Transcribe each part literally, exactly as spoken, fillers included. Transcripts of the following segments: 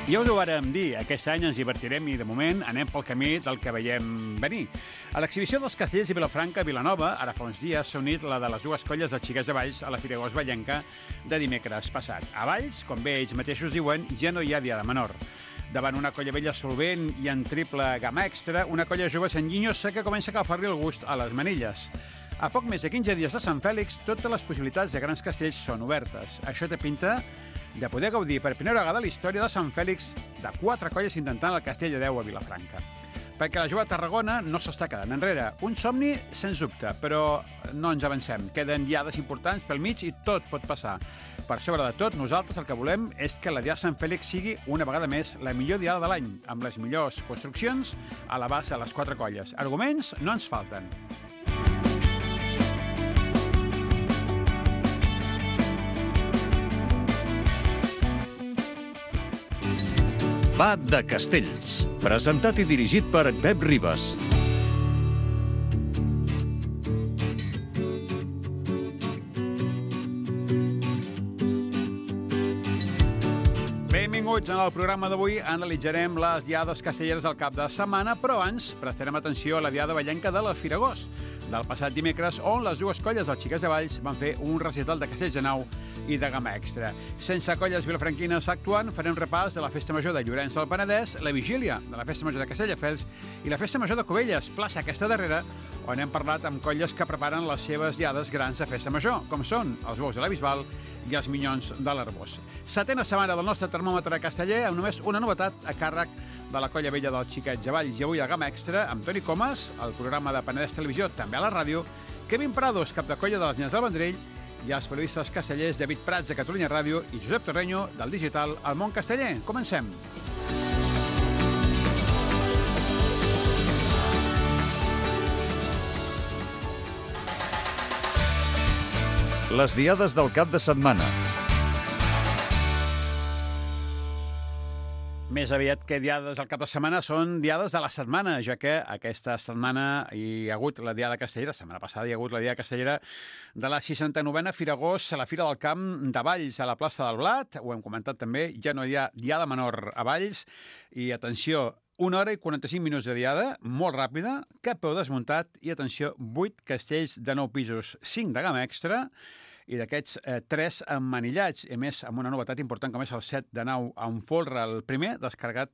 Ja us ho vàrem dir, aquest any ens divertirem i, de moment, anem pel camí del que veiem venir. A l'exhibició dels castells de Vilafranca a Vilanova, ara fa uns dies, s'ha unit la de les dues colles de xiquets de Valls a la Firagost Vallenca de dimecres passat. A Valls, com bé ells mateixos diuen, ja no hi ha diada menor. Davant una colla vella solvent i en triple gamma extra, una colla jove sanguinyosa que comença a agafar-li el gust a les manilles. A poc més de quinze dies de Sant Fèlix, totes les possibilitats de grans castells són obertes. Això té pinta de poder gaudir per primera vegada la història de Sant Fèlix de quatre colles intentant el castell de Déu a Vilafranca. Perquè la jove Tarragona no s'està quedant enrere. Un somni, sens dubte, però no ens avancem. Queden diades importants pel mig i tot pot passar. Per sobre de tot, nosaltres el que volem és que la diada Sant Fèlix sigui una vegada més la millor diada de l'any, amb les millors construccions a la base de les quatre colles. Arguments no ens falten. Va de Castells, presentat i dirigit per Pep Ribas. Benvinguts en el programa d'avui. Analitzarem les diades castelleres del cap de setmana, però abans prestarem atenció a la diada vallenca de la Firagost del passat dimecres, on les dues colles dels Xiquets de Valls van fer un recital de castells de nau i de gamma extra. Sense colles vilafranquines actuant, farem repàs de la Festa Major de Llorenç del Penedès, la vigília de la Festa Major de Castelldefels i la Festa Major de Cubelles, plaça aquesta darrera, on hem parlat amb colles que preparen les seves diades grans de Festa Major, com són els Bous de la Bisbal i els Minyons de l'Arbós. Setena setmana del nostre termòmetre casteller, amb només una novetat a càrrec de la colla vella del Xiquets de Valls i avui a gamma extra, amb Toni Comas, el programa de Penedès Televisió, també a la ràdio, Kevin Prados, cap de colla de les Nyes del Vendrell, i els periodistes castellers David Prats, de Catalunya Ràdio, i Josep Torreño, del digital El Món Casteller. Comencem. Les diades del cap de setmana. Més aviat que diades al cap de setmana són diades de la setmana, ja que aquesta setmana hi ha hagut la diada castellera, la setmana passada hi ha hagut la diada castellera de la seixanta-novena Firagost a la Fira del Camp de Valls, a la plaça del Blat. Ho hem comentat també, ja no hi ha diada menor a Valls. I atenció, una hora i quaranta-cinc minuts de diada, molt ràpida, cap peu desmuntat i, atenció, vuit castells de nou pisos, cinc de gamma extra, i d'aquests, eh, tres emmanillats, i més amb una novetat important com és el set de nau en folre, el primer descarregat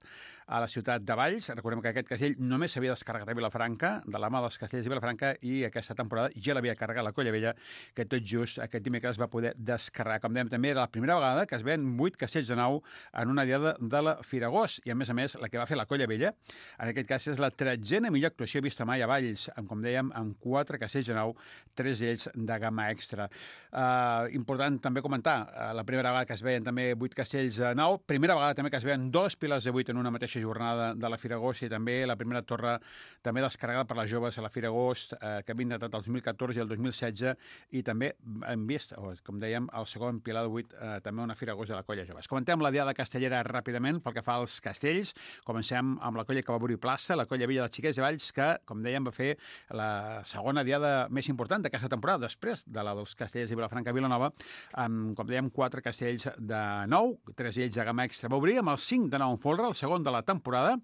a la ciutat de Valls. Recordem que aquest castell només s'havia descarregat a Vilafranca, de la mà dels castells de Vilafranca, i aquesta temporada ja l'havia carregat la Colla Vella, que tot just aquest dimecres va poder descarregar. Com dèiem, també era la primera vegada que es ven vuit castells de nau en una diada de la Firagost, i a més a més la que va fer la Colla Vella, en aquest cas és la tretzena millor actuació vista mai a Valls, amb, com dèiem, amb quatre castells de nau, tres d'ells de gamma extra. Uh, important també comentar, uh, la primera vegada que es veien també vuit castells de nau, primera vegada també que es veien dos piles de vuit en una mateixa jornada de la Firagost, i també la primera torre també descarregada per les joves a la Firagost, eh, que havien datat el dos mil catorze i el dos mil setze, i també hem vist, o, com dèiem, el segon pilar de vuit, eh, també una Firagost de la colla joves. Comentem la diada castellera ràpidament pel que fa als castells. Comencem amb la colla que va obrir plaça, la colla vella dels Xiquets de Valls, que, com dèiem, va fer la segona diada més important d'aquesta temporada, després de la dels castells de Vilafranca a Vilanova, amb, com dèiem, quatre castells de nou, tres d'ells de gamma extra. Va obrir amb el cinc de nou en folre, el segon de la temporada,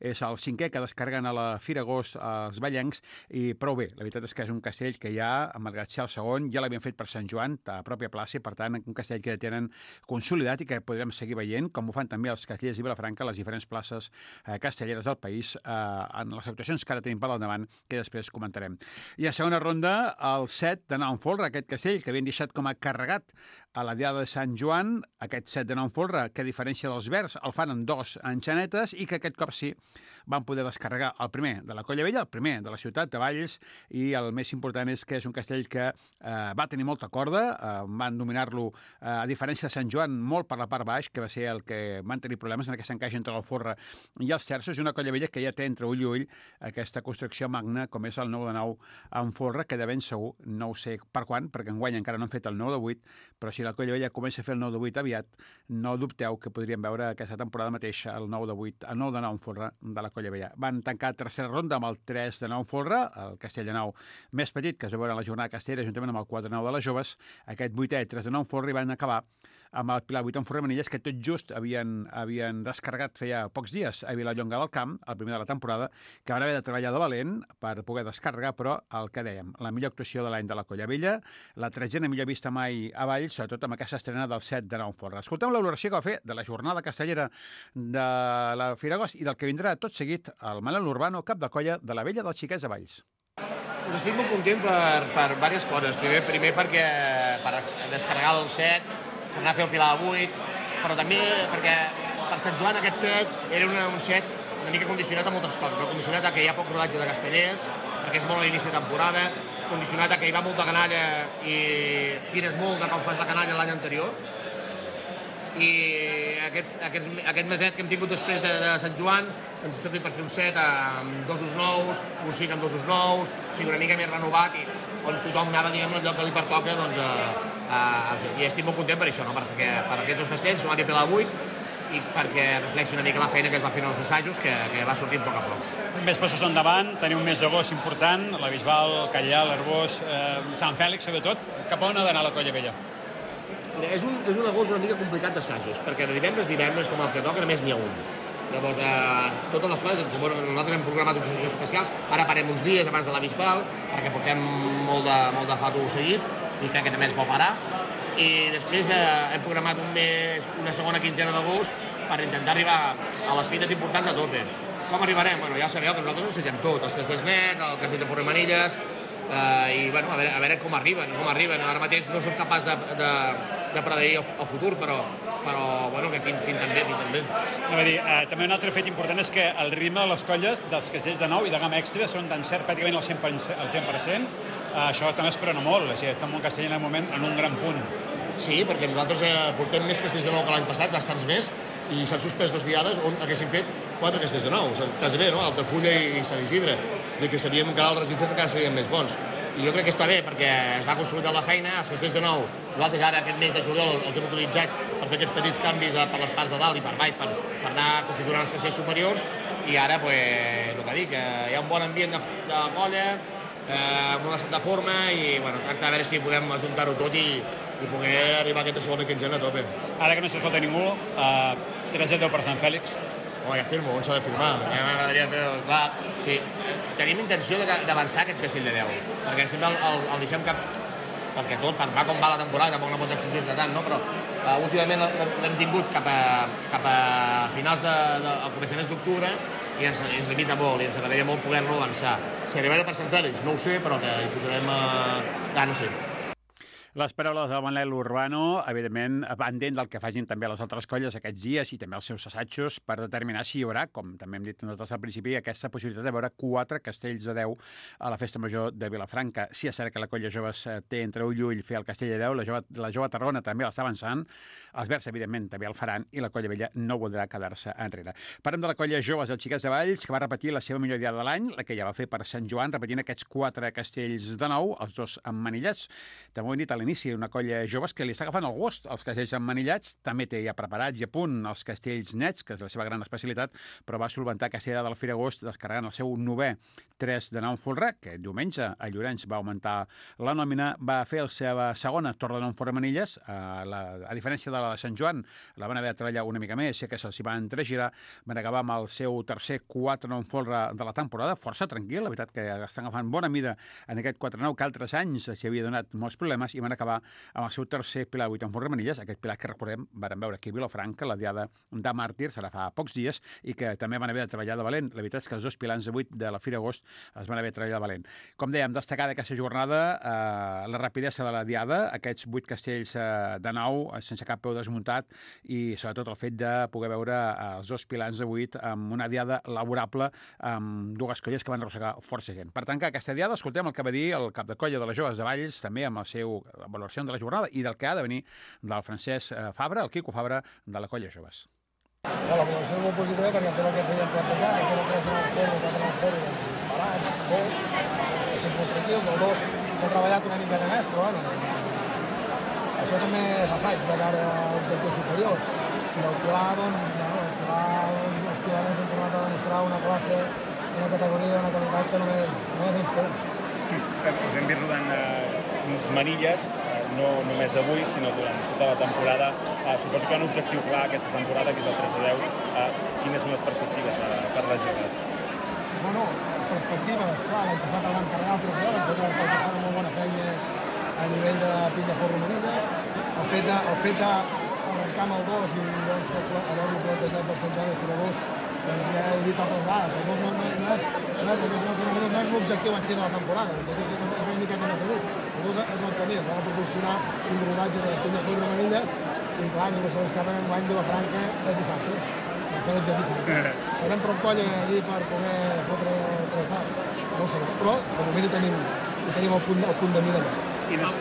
és el cinquè que descarreguen a la Firagost als vallencs, i prou bé. La veritat és que és un castell que ja, malgrat ser el segon, ja l'havien fet per Sant Joan, a pròpia plaça, i per tant un castell que tenen consolidat i que podrem seguir veient, com ho fan també els castellers de Vilafranca a les diferents places eh, castelleres del país, eh, en les actuacions que ara tenim per al davant, que després comentarem. I a segona ronda, el set de nou en folre, aquest castell que havien deixat com a carregat a la diada de Sant Joan, aquest set de nou en folre, que a diferència dels verds el fan en dos enxanetes, i que aquest cop sí van poder descarregar el primer de la Colla Vella, el primer de la ciutat de Valls, i el més important és que és un castell que eh, va tenir molta corda, eh, van dominar-lo, eh, a diferència de Sant Joan, molt per la part baix, que va ser el que van tenir problemes en aquest encaix entre el folre i els terços, i una Colla Vella que ja té entre ull i ull aquesta construcció magna com és el nou de nou en folre, que de ben segur, no ho sé per quan, perquè enguany encara no han fet el nou de vuit, però sí si la Colla Vella comença a fer el nou de vuit aviat, no dubteu que podríem veure aquesta temporada mateix el nou de vuit, el nou de nou en folre de la Colla Vella. Van tancar tercera ronda amb el tres de nou en folre, el Castell de Nou més petit, que es va veure en la jornada castellera, juntament amb el quatre de nou de les joves, aquest vuitè, tres de nou en folre, i van acabar amb el Pilar vuit en folre Manilles, que tot just havien, havien descarregat feia pocs dies a Vilallonga del Camp, el primer de la temporada, que van haver de treballar de valent per poder descarregar, però el que dèiem, la millor actuació de l'any de la Colla Vella, la tretzena millor vista mai a Valls, sobretot amb aquesta estrena del set de nou en folre. Escoltem la valoració que va fer de la jornada castellera de la Fira Agost i del que vindrà tot seguit el Manel Urbano, cap de colla de la Vella dels Xiquets de Valls. Estic molt content per, per diverses coses. Primer, primer perquè per descarregar el set, per anar a fer el Pilar vuit, però també perquè per Sant Joan aquest set era una, un set una mica condicionat a moltes coses, però condicionat a que hi ha poc rodatge de castellers, perquè és molt a l'inici de temporada, condicionat a que hi va molta canalla i tires molt de com fas la canalla l'any anterior, i aquests, aquests, aquest meset que hem tingut després de, de Sant Joan ens ha servit per fer un set amb dosos nous, un cinc amb dosos nous, o sigui, una mica més renovat, i on tothom anava, diguem, el lloc que li pertoca, doncs, a, a, i estic molt content per això, no? perquè per aquests dos castells s'ho va dir per la vuit, i perquè reflexi una mica la feina que es va fer en els assajos, que, que va sortint a poc a poc. Més passos endavant, teniu un mes d'agost important, la Bisbal, Callà, l'Arbós, eh, Sant Fèlix, sobretot. Cap on ha d'anar la Colla Vella? Mira, és un, és un agost una mica complicat d'assajos, perquè de divendres a divendres, com el que toca, només n'hi ha un. Llavors, eh, totes les coses, nosaltres hem programat uns assajos especials, ara parem uns dies abans de la Bisbal, perquè portem molt de, molt de fato seguit, i crec que també es vol parar. I després de, hem programat un mes, una segona quinzena d'agost per intentar arribar a les fites importants a tope. Com arribarem? Bueno, ja sabeu que nosaltres ensegem tot, els castells nets, el castell de Forre Manilles, eh, i bueno, a veure, a veure com arriben, com arriben. Ara mateix no som capaç de, de, de predir el, el futur, però, però bueno, que pinten bé, pinten bé. No, dir, eh, també un altre fet important és que el ritme de les colles dels castells de nou i de gamma extra són d'encert pràcticament al cent per cent, al cent per cent. Uh, això també es prena molt, o sigui, estem molt castell en el moment en un gran punt. Sí, perquè nosaltres eh, portem més castells de nou que l'any passat, bastants més, i s'han suspès dos diades on haguéssim fet quatre castells de nou, o sigui, quasi bé, no? Altafulla i Sant Isidre, de que seríem encara el registre que encara serien més bons. I jo crec que està bé, perquè es va consolidar la feina, els castells de nou, nosaltres ara aquest mes de juliol els hem utilitzat per fer aquests petits canvis per les parts de dalt i per baix, per, per anar configurant els castells superiors, i ara, pues, el que dic, hi ha un bon ambient de, de colla, eh, amb una certa forma, i bueno, tracta de veure si podem ajuntar-ho tot i, i poder arribar a aquesta segona quinzena a tope. Ara que no s'escolta ningú, eh, tres a deu per Sant Fèlix. Oh, ja firmo, on s'ha de firmar? Ja m'agradaria fer... Clar, sí, tenim intenció d'avançar aquest castell de deu, perquè sempre el, el, el deixem cap... perquè tot, per va com va la temporada, tampoc no pots exigir-te tant, no? Però uh, últimament l'hem tingut cap a, cap a finals de, de, al començaments d'octubre, i ens, ens limita molt, i ens agradaria molt poder-lo avançar. Si arribarà per Sant Fèlix, no ho sé, però que hi posarem uh, ganes, sí. Les paraules de Manel Urbano, evidentment, pendent del que facin també les altres colles aquests dies i també els seus assajos per determinar si hi haurà, com també hem dit nosaltres al principi, aquesta possibilitat de veure quatre castells de deu a la Festa Major de Vilafranca. Si és cert que la colla joves té entre ull i ull fer el castell de deu, la jove, la jove Tarragona també l'està avançant, els Verds, evidentment, també el faran, i la colla vella no voldrà quedar-se enrere. Parlem de la colla joves dels Xiquets de Valls, que va repetir la seva millor diada de l'any, la que ja va fer per Sant Joan, repetint aquests quatre castells de nou, els dos emmanillats. També ho hem dit a l'inici, una colla joves que li està agafant el gust als castells emmanillats, també té ja preparats i a punt els castells nets, que és la seva gran especialitat, però va solventar aquesta idea del Fira Agost descarregant el seu novè tres de nou en folre, que diumenge a Llorenç va augmentar la nòmina, va fer la seva segona torre de nou en Forre Manilles, a, la, a diferència de la de Sant Joan, la van haver de treballar una mica més, que se'ls van entregirar, van acabar amb el seu tercer quatre de nou en folre de la temporada, força tranquil, la veritat que estan agafant bona mida en aquest quatre nou, que altres anys s'hi havia donat molts problemes, i van acabar amb el seu tercer Pilar vuit en Forre Manilles, aquest Pilar que recordem, varen veure aquí a Vilafranca, la diada de màrtirs, ara fa pocs dies, i que també van haver de treballar de valent. La veritat és que els dos pilars de vuit de la Fira Agost es van haver de treballar de valent. Com dèiem, destacar d'aquesta jornada eh, la rapidesa de la diada, aquests vuit castells eh, de nou, sense cap peu desmuntat, i sobretot el fet de poder veure eh, els dos pilars de vuit amb una diada laborable, amb dues colles que van arrossegar força gent. Per tancar aquesta diada, escoltem el que va dir el cap de colla de les joves de Valls, també amb el seu valoració de la jornada i del que ha de venir del Francesc Fabra, el Quico Fabra, de la colla joves. La valoració és molt positiva perquè hem fet el que s'havia plantejat, hem fet el tres de nou forro, el quatre de nou forro, barats, bo, estem molt tranquils, el dos s'ha treballat una mica de més, però bueno, això també és assaig de cara a objectius superiors. I el pla, doncs, bueno, el pla, doncs, els pilars han tornat a demostrar una classe, una categoria, una qualitat que només, només ells tenen. Us hem vist rodant uns manilles, no només avui, sinó durant tota la temporada. Suposo que hi ha un objectiu clar aquesta temporada, que és el tres de deu. Quines són les perspectives per les joves? Bueno, perspectives, clar, l'any passat el van carregar el tres de deu, després el fan una molt bona feina a nivell de pinya forro manilles. El fet de, el fet d'arrencar amb el dos i doncs, haver-lo plantejat per Sant Joan i Firagost, doncs ja he dit altres vegades, el dos no, no, no, és, no, és, no és l'objectiu en si de la temporada, l'objectiu és, és una miqueta més agut. El dos és el camí, s'ha de proporcionar un rodatge de pinya forro manilles i clar, ningú se l'escapa en l'any de la Franca és dissabte. S'ha de fer l'exercici. Serem prou colla allí per poder fotre tres daus. No ho sé, però de moment hi tenim, hi tenim el, punt, el punt de mira allà.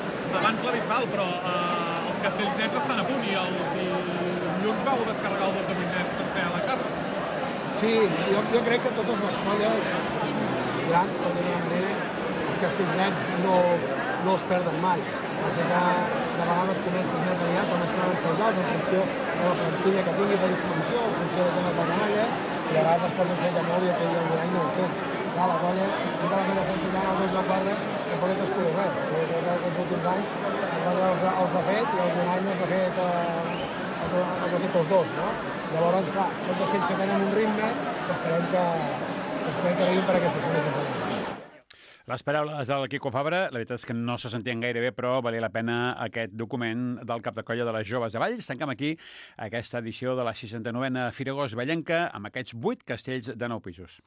Abans la Bisbal, però eh, els castells nets estan a punt i el dilluns vau descarregar el dos de vuit nets sencer a la casa. Sí, jo, jo crec que totes les colles grans, per dir-ho d'una manera, els castells nets no, no els perden mai. O sigui que de vegades comences més aviat quan es troben ensenyats en funció de la plantilla que tinguis a disposició, en funció de temes de canalla, i a vegades es pots ensenyar molt i aquell algun any no ho tens. Clar, la colla, tota la colla està ensenyant el dos de quatre, que pot que es pugui res. Jo crec que aquests últims anys la colla els, els ha fet i algun any els ha fet, eh, els, els ha fet els dos, no? Llavors, clar, són castells que tenen un ritme que esperem que, que, esperem que arribin per aquesta segona temporada. Les paraules del Quico Fabra, la veritat és que no se sentien gaire bé, però valia la pena aquest document del cap de colla de les joves de Valls. Tanquem aquí aquesta edició de la seixanta-novena Firagost Vallenca amb aquests vuit castells de nou pisos.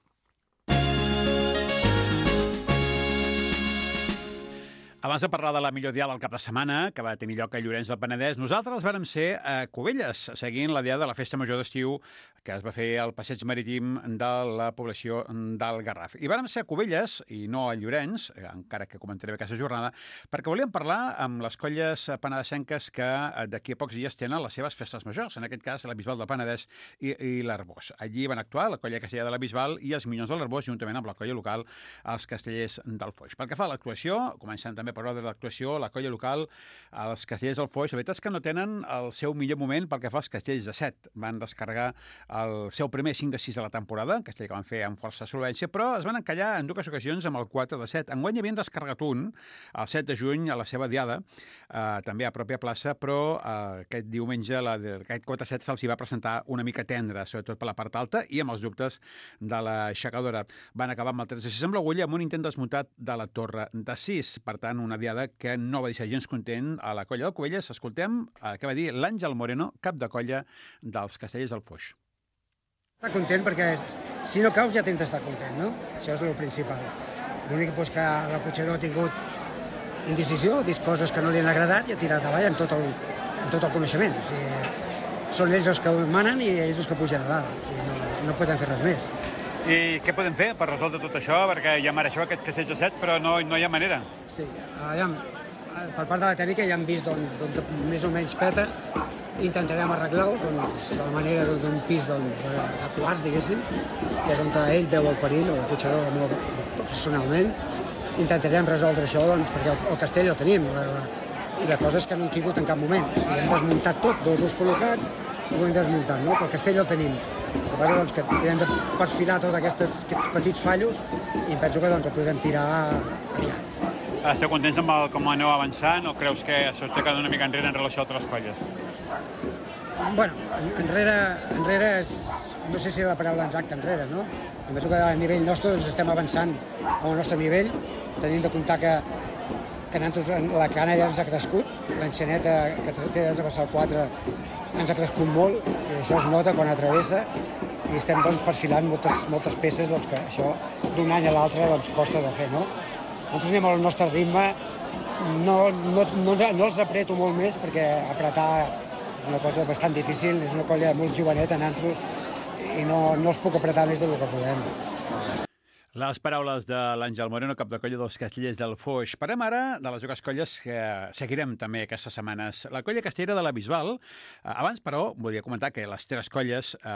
Abans de parlar de la millor diada del cap de setmana, que va tenir lloc a Llorenç del Penedès, nosaltres vàrem ser a Cubelles, seguint la diada de la Festa Major d'Estiu que es va fer al passeig marítim de la població del Garraf. I vàrem ser a Cubelles, i no a Llorenç, encara que comentaré aquesta jornada, perquè volíem parlar amb les colles penedesenques que d'aquí a pocs dies tenen les seves festes majors, en aquest cas la Bisbal del Penedès i, i l'Arbós. Allí van actuar la colla castellera de la Bisbal i els Minyons de l'Arbós, juntament amb la colla local, els castellers del Foix. Pel que fa a l'actuació, començant també per ordre de l'actuació, la colla local, els castellers del Foix, la veritat és que no tenen el seu millor moment pel que fa als castells de set. Van descarregar el seu primer cinc de sis de la temporada, castell que van fer amb força solvència, però es van encallar en dues ocasions amb el quatre de set. Enguany havien descarregat un, el set de juny, a la seva diada, eh, també a pròpia plaça, però eh, aquest diumenge la, aquest quatre de set se'ls va presentar una mica tendre, sobretot per la part alta i amb els dubtes de l'aixecadora. Van acabar amb el tres de sis amb l'agulla amb un intent desmuntat de la torre de sis. Per tant, una diada que no va deixar gens content a la colla de Cubelles. Escoltem eh, què va dir l'Àngel Moreno, cap de colla dels castellers del Foix. Està content perquè si no caus ja tens d'estar content, no? Això és el principal. L'únic és que l'acotxador ha tingut indecisió, ha vist coses que no li han agradat i ha tirat avall en tot el, en tot el coneixement. O sigui, són ells els que manen i ells els que pugen a dalt. O sigui, no, no podem fer res més. I què podem fer per resoldre tot això? Perquè ja mereixeu aquests castells de set, però no, no hi ha manera. Sí, ja, per part de la tècnica ja hem vist doncs, doncs, més o menys peta. Intentarem arreglar-ho doncs, a la manera d'un pis doncs, de quarts, diguéssim, que és on ell veu el perill, o l'acotxador molt personalment. Intentarem resoldre això doncs, perquè el, el castell el tenim, la, la, i la cosa és que no hem caigut en cap moment. O sigui, hem desmuntat tot, dos us col·locats, i ho hem desmuntat, no? Però el castell el tenim. El que passa doncs, que hem de perfilar tots aquests, aquests petits fallos i penso que doncs, el podrem tirar aviat. Esteu contents amb el, com aneu avançant o creus que s'ho està quedant una mica enrere en relació a altres colles? Bueno, enrere, enrere és, no sé si és la paraula exacta, enrere, no? Em penso que a nivell nostre doncs, estem avançant al nostre nivell, tenint de comptar que, que la canalla ens ha crescut, l'enxaneta que té de travessar el quatre ens ha crescut molt, i això es nota quan atravessa, i estem doncs, perfilant moltes, moltes peces doncs, que això d'un any a l'altre doncs, costa de fer, no? Nosaltres anem al nostre ritme, no, no, no, no els apreto molt més perquè apretar és una cosa bastant difícil, és una colla molt joveneta, nantros, i no, no els puc apretar més del que podem. Les paraules de l'Àngel Moreno, cap de colla dels Castellers del Foix. Parem ara de les dues colles que seguirem també aquestes setmanes. La colla castellera de la Bisbal. Abans, però, volia comentar que les tres colles eh,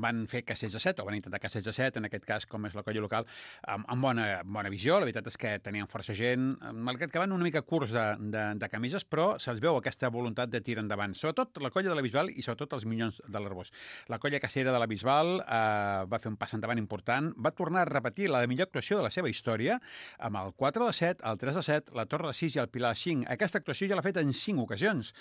van fer castells de set, o van intentar castells de set, en aquest cas, com és la colla local, amb, amb bona, bona visió. La veritat és que tenien força gent, malgrat que van una mica curts de, de, de camises, però se'ls veu aquesta voluntat de tirar endavant. Sobretot la colla de la Bisbal i sobretot els Minyons de l'Arbós. La colla castellera de la Bisbal eh, va fer un pas endavant important, va tornar a repetir la millor actuació de la seva història, amb el quatre de set, el tres de set, la Torre de sis i el Pilar de cinc. Aquesta actuació ja l'ha fet en cinc ocasions.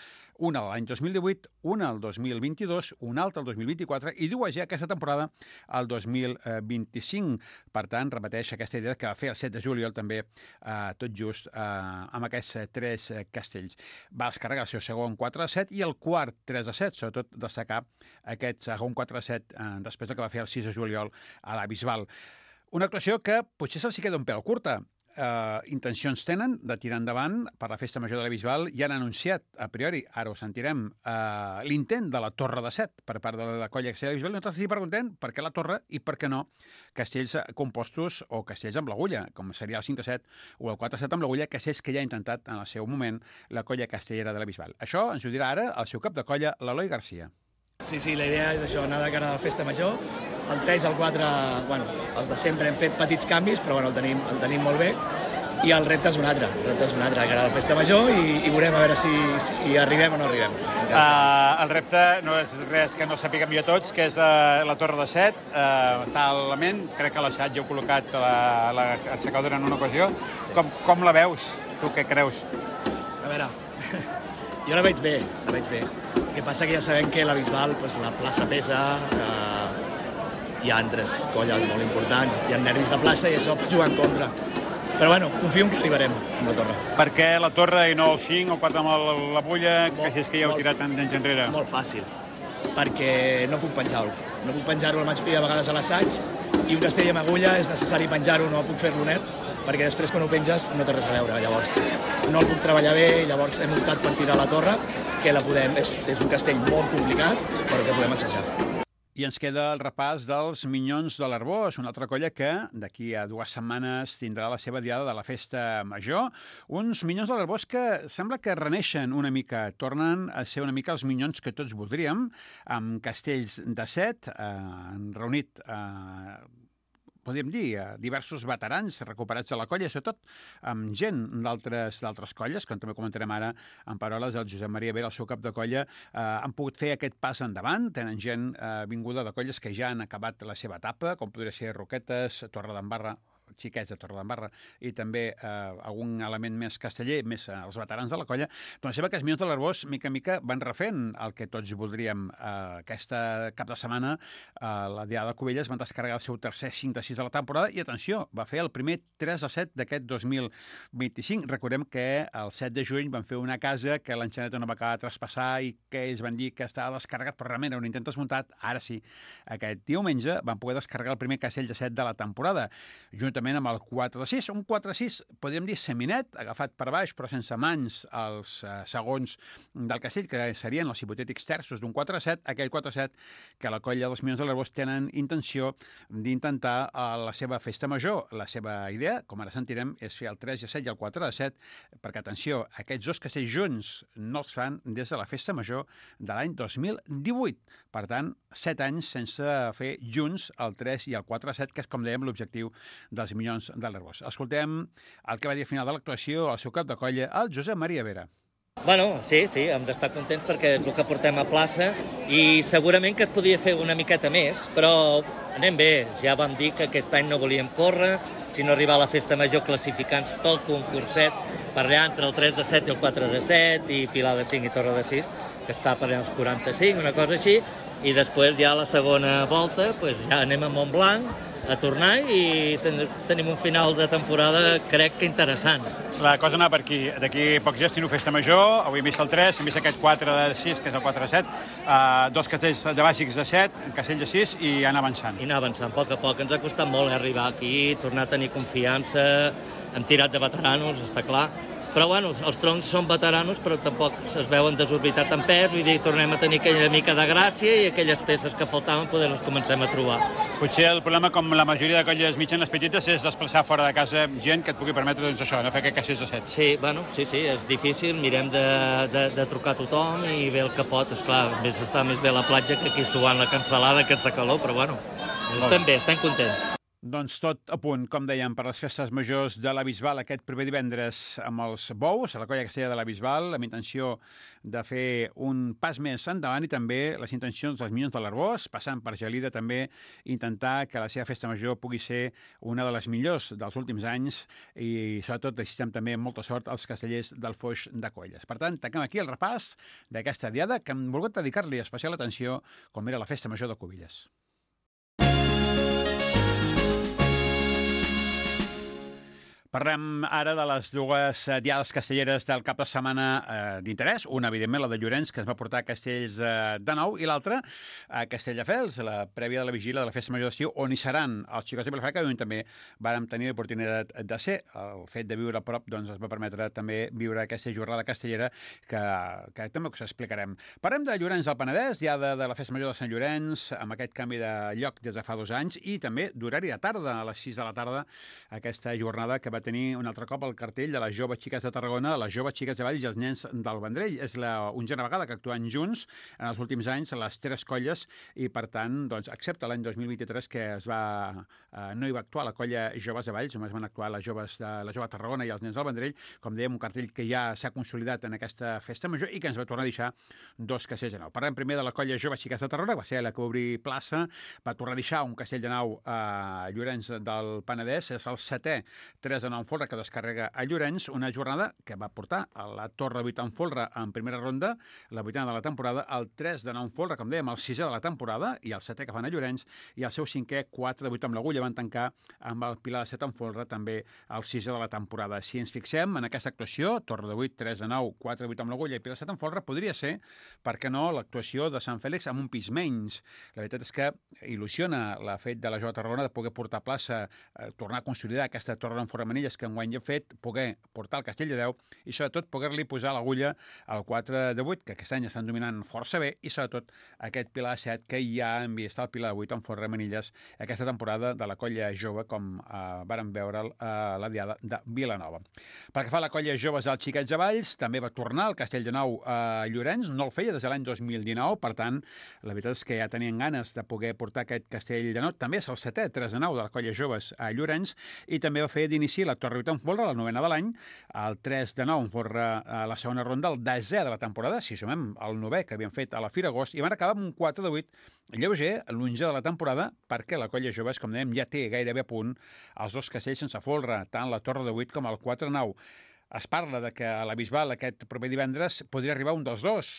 Una l'any dos mil divuit, una el dos mil vint-i-dos, una altra el dos mil vint-i-quatre i dues ja aquesta temporada, el dos mil vint-i-cinc. Per tant, repeteix aquesta idea que va fer el set de juliol també, eh, tot just, eh, amb aquests tres castells. Va descarregar el seu segon quatre de set i el quart tres de set, sobretot destacar aquest segon quatre de set eh, després del que va fer el sis de juliol a la Bisbal. Una actuació que potser se'ls queda un pèl curta. Uh, intencions tenen de tirar endavant per la Festa Major de la Bisbal i han anunciat, a priori, ara ho sentirem, uh, l'intent de la Torre de set per part de la colla castellera de la Bisbal. Nosaltres s'hi preguntem per què la Torre i per què no castells compostos o castells amb l'agulla, com seria el cinc de set o el quatre de set amb l'agulla, castells que ja ha intentat en el seu moment la colla castellera de la Bisbal. Això ens ho dirà ara el seu cap de colla, l'Eloi Garcia. Sí, sí, la idea és això, anar de cara a la Festa Major. El tres i el quatre, bueno, els de sempre hem fet petits canvis, però bueno, el tenim, el tenim molt bé. I el repte és un altre, el repte és un altre, de cara a la Festa Major, i, i veurem a veure si, si arribem o no arribem. Uh, el repte no és res que no sapiguem jo tots, que és uh, la Torre de set. Uh, està a l'element, crec que l'Aixat ja heu col·locat l'aixecadora en una ocasió. Com, com la veus? Tu què creus? A veure, jo la veig bé, la veig bé. El que passa que ja sabem que la Bisbal, pues, la plaça pesa, eh, hi ha altres colles molt importants, hi ha nervis de plaça i això pot jugar en contra. Però bueno, confio que arribarem amb la Torre. Per què la Torre i no el cinc o el quatre amb la bulla, que si és que ja heu tirat anys enrere? Molt fàcil, perquè no puc penjar-ho. No puc penjar-ho, el vaig pedir a vegades a l'assaig, i un castell amb agulla és necessari penjar-ho, no puc fer-lo net, perquè després quan ho penges no té res a veure, llavors no el puc treballar bé, llavors hem optat per tirar la Torre, que la podem, és, és un castell molt complicat, però que podem assajar. I ens queda el repàs dels Minyons de l'Arbós, una altra colla que d'aquí a dues setmanes tindrà la seva diada de la Festa Major. Uns Minyons de l'Arbós que sembla que reneixen una mica, tornen a ser una mica els Minyons que tots voldríem, amb castells de set, eh, han reunit eh, podríem dir, diversos veterans recuperats de la colla, sobretot amb gent d'altres d'altres colles, com també comentarem ara en paraules del Josep Maria Vera, el seu cap de colla, eh, han pogut fer aquest pas endavant, tenen gent eh, vinguda de colles que ja han acabat la seva etapa, com podria ser Roquetes, Torredembarra, xiquets de Torredembarra i també eh, algun element més casteller, més eh, els veterans de la colla, doncs sembla que els Minyons de l'Arbós, mica en mica, van refent el que tots voldríem. Eh, aquesta cap de setmana, eh, la Diada de Cubelles van descarregar el seu tercer cinc de sis de la temporada i, atenció, va fer el primer tres a set d'aquest dos mil vint-i-cinc. Recordem que el set de juny van fer una casa que l'enxaneta no va acabar de traspassar i que ells van dir que estava descarregat, però realment era un intent desmuntat. Ara sí, aquest diumenge van poder descarregar el primer castell de set de la temporada, juntament amb el quatre de sis, un quatre de sis, podríem dir seminet, agafat per baix, però sense mans els eh, segons del castell, que serien els hipotètics terços d'un quatre de set, aquell quatre de set que la colla dels Minyons de l'Arbós tenen intenció d'intentar a la seva Festa Major. La seva idea, com ara sentirem, és fer el tres de set i el quatre de set, perquè, atenció, aquests dos castells junts no els fan des de la Festa Major de l'any dos mil divuit. Per tant, set anys sense fer junts el tres i el quatre de set, que és, com dèiem, l'objectiu dels Minyons de l'Arbós. Escoltem el que va dir al final de l'actuació el seu cap de colla, el Josep Maria Vera. Bueno, sí, sí, hem d'estar contents perquè és el que portem a plaça i segurament que es podia fer una miqueta més, però anem bé. Ja vam dir que aquest any no volíem córrer, sinó arribar a la Festa Major classificants pel concurset per allà entre el tres de set i el quatre de set i Pilar de cinc i Torre de sis, que està per allà als quaranta-cinc, una cosa així, i després ja a la segona volta pues ja anem a Montblanc a tornar i ten tenim un final de temporada crec que interessant. La cosa anava per aquí. D'aquí pocs dies tinc Festa Major, avui hem vist el tres, hem vist aquest quatre de sis, que és el quatre de set, uh, dos castells de bàsics de set, un castell de sis i anar avançant. I anar avançant, a poc a poc. Ens ha costat molt arribar aquí, tornar a tenir confiança, hem tirat de veteranos, està clar, Però, bueno, els troncs són veteranos, però tampoc es veuen desorbitat en pes, vull dir, tornem a tenir aquella mica de gràcia i aquelles peces que faltaven poder les comencem a trobar. Potser el problema, com la majoria de colles mitjanes petites, és desplaçar fora de casa gent que et pugui permetre, doncs, això, no fer aquest castells de set. Sí, bueno, sí, sí, és difícil, mirem de, de, de trucar a tothom i bé el que pot, esclar, més està més bé a la platja que aquí suant la cansalada, aquesta calor, però bueno, estem bé, estem contents. Doncs tot a punt, com dèiem, per les festes majors de la Bisbal aquest proper divendres amb els bous, a la colla castellera de la Bisbal, amb intenció de fer un pas més endavant i també les intencions dels Minyons de l'Arbós, passant per Gelida també, intentar que la seva festa major pugui ser una de les millors dels últims anys i sobretot desitgem també molta sort als castellers del Foix de Colles. Per tant, tanquem aquí el repàs d'aquesta diada que hem volgut dedicar-li especial atenció com era la festa major de Cubilles. Parlem ara de les dues diades castelleres del cap de setmana eh, d'interès. Una, evidentment, la de Llorenç, que ens va portar a Castells eh, de nou, i l'altra a Castelldefels, la prèvia de la vigília de la festa major d'estiu, on hi seran els xicots de Vilafranca, on també vàrem tenir l'oportunitat de ser. El fet de viure a prop doncs, ens va permetre també viure aquesta jornada castellera que, que també us explicarem. Parlem de Llorenç del Penedès, diada de la festa major de Sant Llorenç, amb aquest canvi de lloc des de fa dos anys, i també d'horari de tarda, a les sis de la tarda, aquesta jornada que va tenir un altre cop el cartell de les joves xiques de Tarragona, les joves xiques de Valls i els nens del Vendrell. És la onzena vegada que actuen junts en els últims anys les tres colles i, per tant, doncs, excepte l'any dos mil vint-i-tres que es va, eh, no hi va actuar la colla joves de Valls, només van actuar les joves de la jove Tarragona i els nens del Vendrell, com dèiem, un cartell que ja s'ha consolidat en aquesta festa major i que ens va tornar a deixar dos castells de nau. Parlem primer de la colla joves xiques de Tarragona, va ser la que va obrir plaça, va tornar a deixar un castell de nau a Llorenç del Penedès, és el setè tres de nou en folre que descarrega a Llorenç, una jornada que va portar a la Torre de vuit en folre en primera ronda, la vuitena de la temporada, el tres de nou en folre, com dèiem, el sisè de la temporada, i el setè que fan a Llorenç, i el seu cinquè, quatre de vuit amb l'Agulla, van tancar amb el Pilar de set en folre, també el sisè de la temporada. Si ens fixem en aquesta actuació, Torre de vuit, tres de nou, quatre de vuit amb l'Agulla i Pilar de set en folre, podria ser, per què no, l'actuació de Sant Fèlix amb un pis menys. La veritat és que il·lusiona la fet de la Jove Tarragona de poder portar a plaça, eh, tornar a consolidar aquesta Torre d'en Forramanilles que enguany ja hem fet, poder portar el castell de deu i sobretot poder-li posar l'agulla al quatre de vuit, que aquest any estan dominant força bé, i sobretot aquest Pilar de set que ja ha enviat el Pilar de vuit en Forramanilles aquesta temporada de la colla jove, com eh, vàrem veure a la diada de Vilanova. Pel que fa a la colla joves dels xiquets de Valls, també va tornar el castell de nou a Llorenç, no el feia des de l'any dos mil dinou, per tant, la veritat és que ja tenien ganes de poder portar aquest castell de nou, també és el setè tres de nou de la colla joves a Llorenç, i també va fer d'inici la Torre vuit en folre, la novena de l'any, el tres de nou en folre a la segona ronda, el desè de la temporada, si sumem el novè que havien fet a la Fira Agost, i van acabar amb un quatre de vuit lleuger, l'onzè de la temporada, perquè la colla joves, com dèiem, ja té gairebé a punt els dos castells sense folre, tant la Torre de vuit com el quatre de nou. Es parla de que a la Bisbal aquest proper divendres podria arribar un dels dos.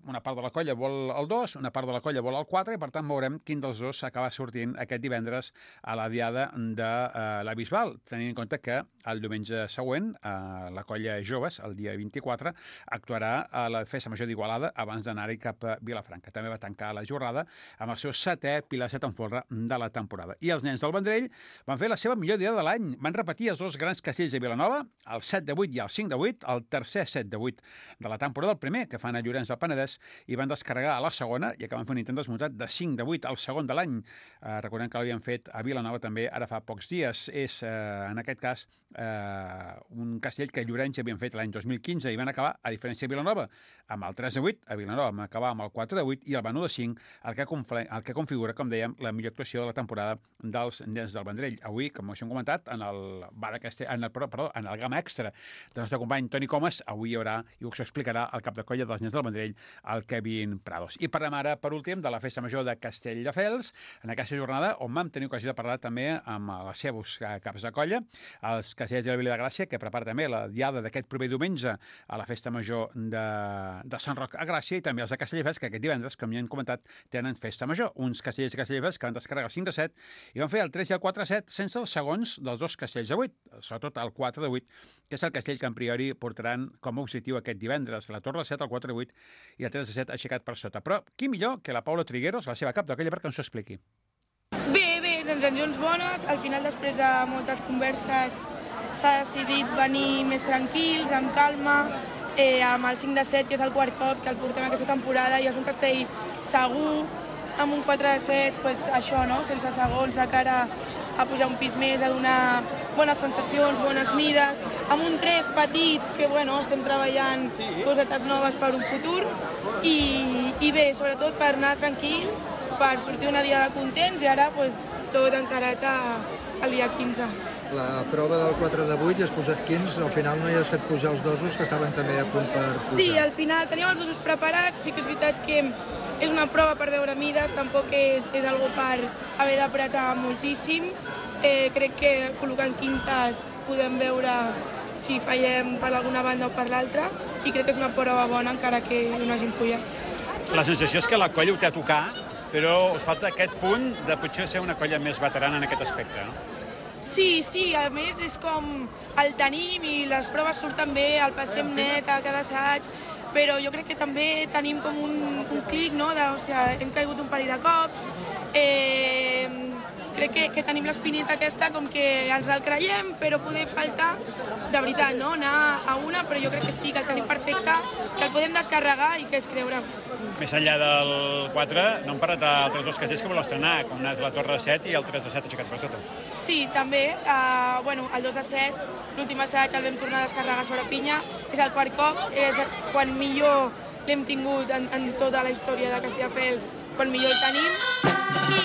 Una part de la colla vol el dos, una part de la colla vol el quatre, i per tant veurem quin dels dos s'acaba sortint aquest divendres a la diada de uh, la Bisbal, tenint en compte que el diumenge següent uh, la colla joves, el dia vint-i-quatre, actuarà a la festa major d'Igualada abans d'anar-hi cap a Vilafranca. També va tancar la jornada amb el seu setè Pilar set en folre de la temporada. I els nens del Vendrell van fer la seva millor diada de l'any. Van repetir els dos grans castells de Vilanova, el set de vuit i el cinc de vuit, el tercer set de vuit de la temporada, el primer que fan a Llorenç del Penedès, i van descarregar a la segona i acaben fent un intent desmuntat de cinc de vuit al segon de l'any. Eh, recordem que l'havien fet a Vilanova també ara fa pocs dies. És, eh, en aquest cas, eh, un castell que a Llorenç havien fet l'any dos mil quinze i van acabar, a diferència de Vilanova, amb el tres de vuit, a Vilanova vam acabar amb el quatre de vuit i el Benú de cinc, el que, el que configura, com dèiem, la millor actuació de la temporada dels nens del Vendrell. Avui, com us hem comentat, en el, bar castell, en el, perdó, en el gamma extra del nostre company Toni Comas, avui hi haurà, i us explicarà el cap de colla dels nens del Vendrell, el Kevin Prados. I parlem ara, per últim, de la festa major de Castelldefels, en aquesta jornada on vam tenir ocasió de parlar també amb els seus caps de colla, els castellers de la Vila de Gràcia, que prepara també la diada d'aquest proper diumenge a la festa major de, de Sant Roc a Gràcia, i també els de Castelldefels, que aquest divendres, com ja hem comentat, tenen festa major. Uns castellers de Castelldefels que van descarregar el cinc de set i van fer el tres i el quatre de set sense els segons dels dos castells de vuit, sobretot el quatre de vuit, que és el castell que en priori portaran com a objectiu aquest divendres, la Torre de set, el quatre de vuit i el tres de set aixecat per sota. Però qui millor que la Paula Trigueros, la seva cap de colla, perquè ens ho expliqui. Bé, bé, sensacions bones. Al final, després de moltes converses s'ha decidit venir més tranquils, amb calma, eh, amb el cinc de set, que és el quart cop que el portem aquesta temporada, i és un castell segur, amb un quatre de set, pues, això, no? Sense segons, de cara a pujar un pis més, a donar bones sensacions, bones mides, amb un tres petit, que bueno, estem treballant cosetes noves per un futur, i, i bé, sobretot per anar tranquils, per sortir una diada contents, i ara pues, tot encarat al dia quinze. La prova del quatre de vuit has posat quinze, al final no hi has fet pujar els dosos, que estaven també a punt per pujar. Sí, al final teníem els dosos preparats, sí que és veritat que és una prova per veure mides, tampoc és, és algo per haver d'apretar moltíssim. Eh, crec que col·locant quintes podem veure si fallem per alguna banda o per l'altra, i crec que és una prova bona encara que no hagin pujat. La sensació és que la colla ho té a tocar, però us falta aquest punt de potser ser una colla més veterana en aquest aspecte, no? Sí, sí, a més és com el tenim i les proves surten bé, el passem net a cada assaig, però jo crec que també tenim com un, un clic, no?, de, hòstia, hem caigut un parell de cops, eh, crec que, que tenim l'espinita aquesta com que ens el creiem, però poder faltar, de veritat, no?, anar a una, però jo crec que sí, que el tenim perfecte, que el podem descarregar i que és creure. Més enllà del quatre, no hem parlat d'altres dos castells que voleu estrenar, com és la Torre de set i el tres de set aixecat per sota. Sí, també, eh, bueno, el dos de set, l'últim assaig el vam tornar a descarregar sobre pinya, és el quart cop, és quan millor l'hem tingut en, en tota la història de Castelldefels, quan millor el tenim, i,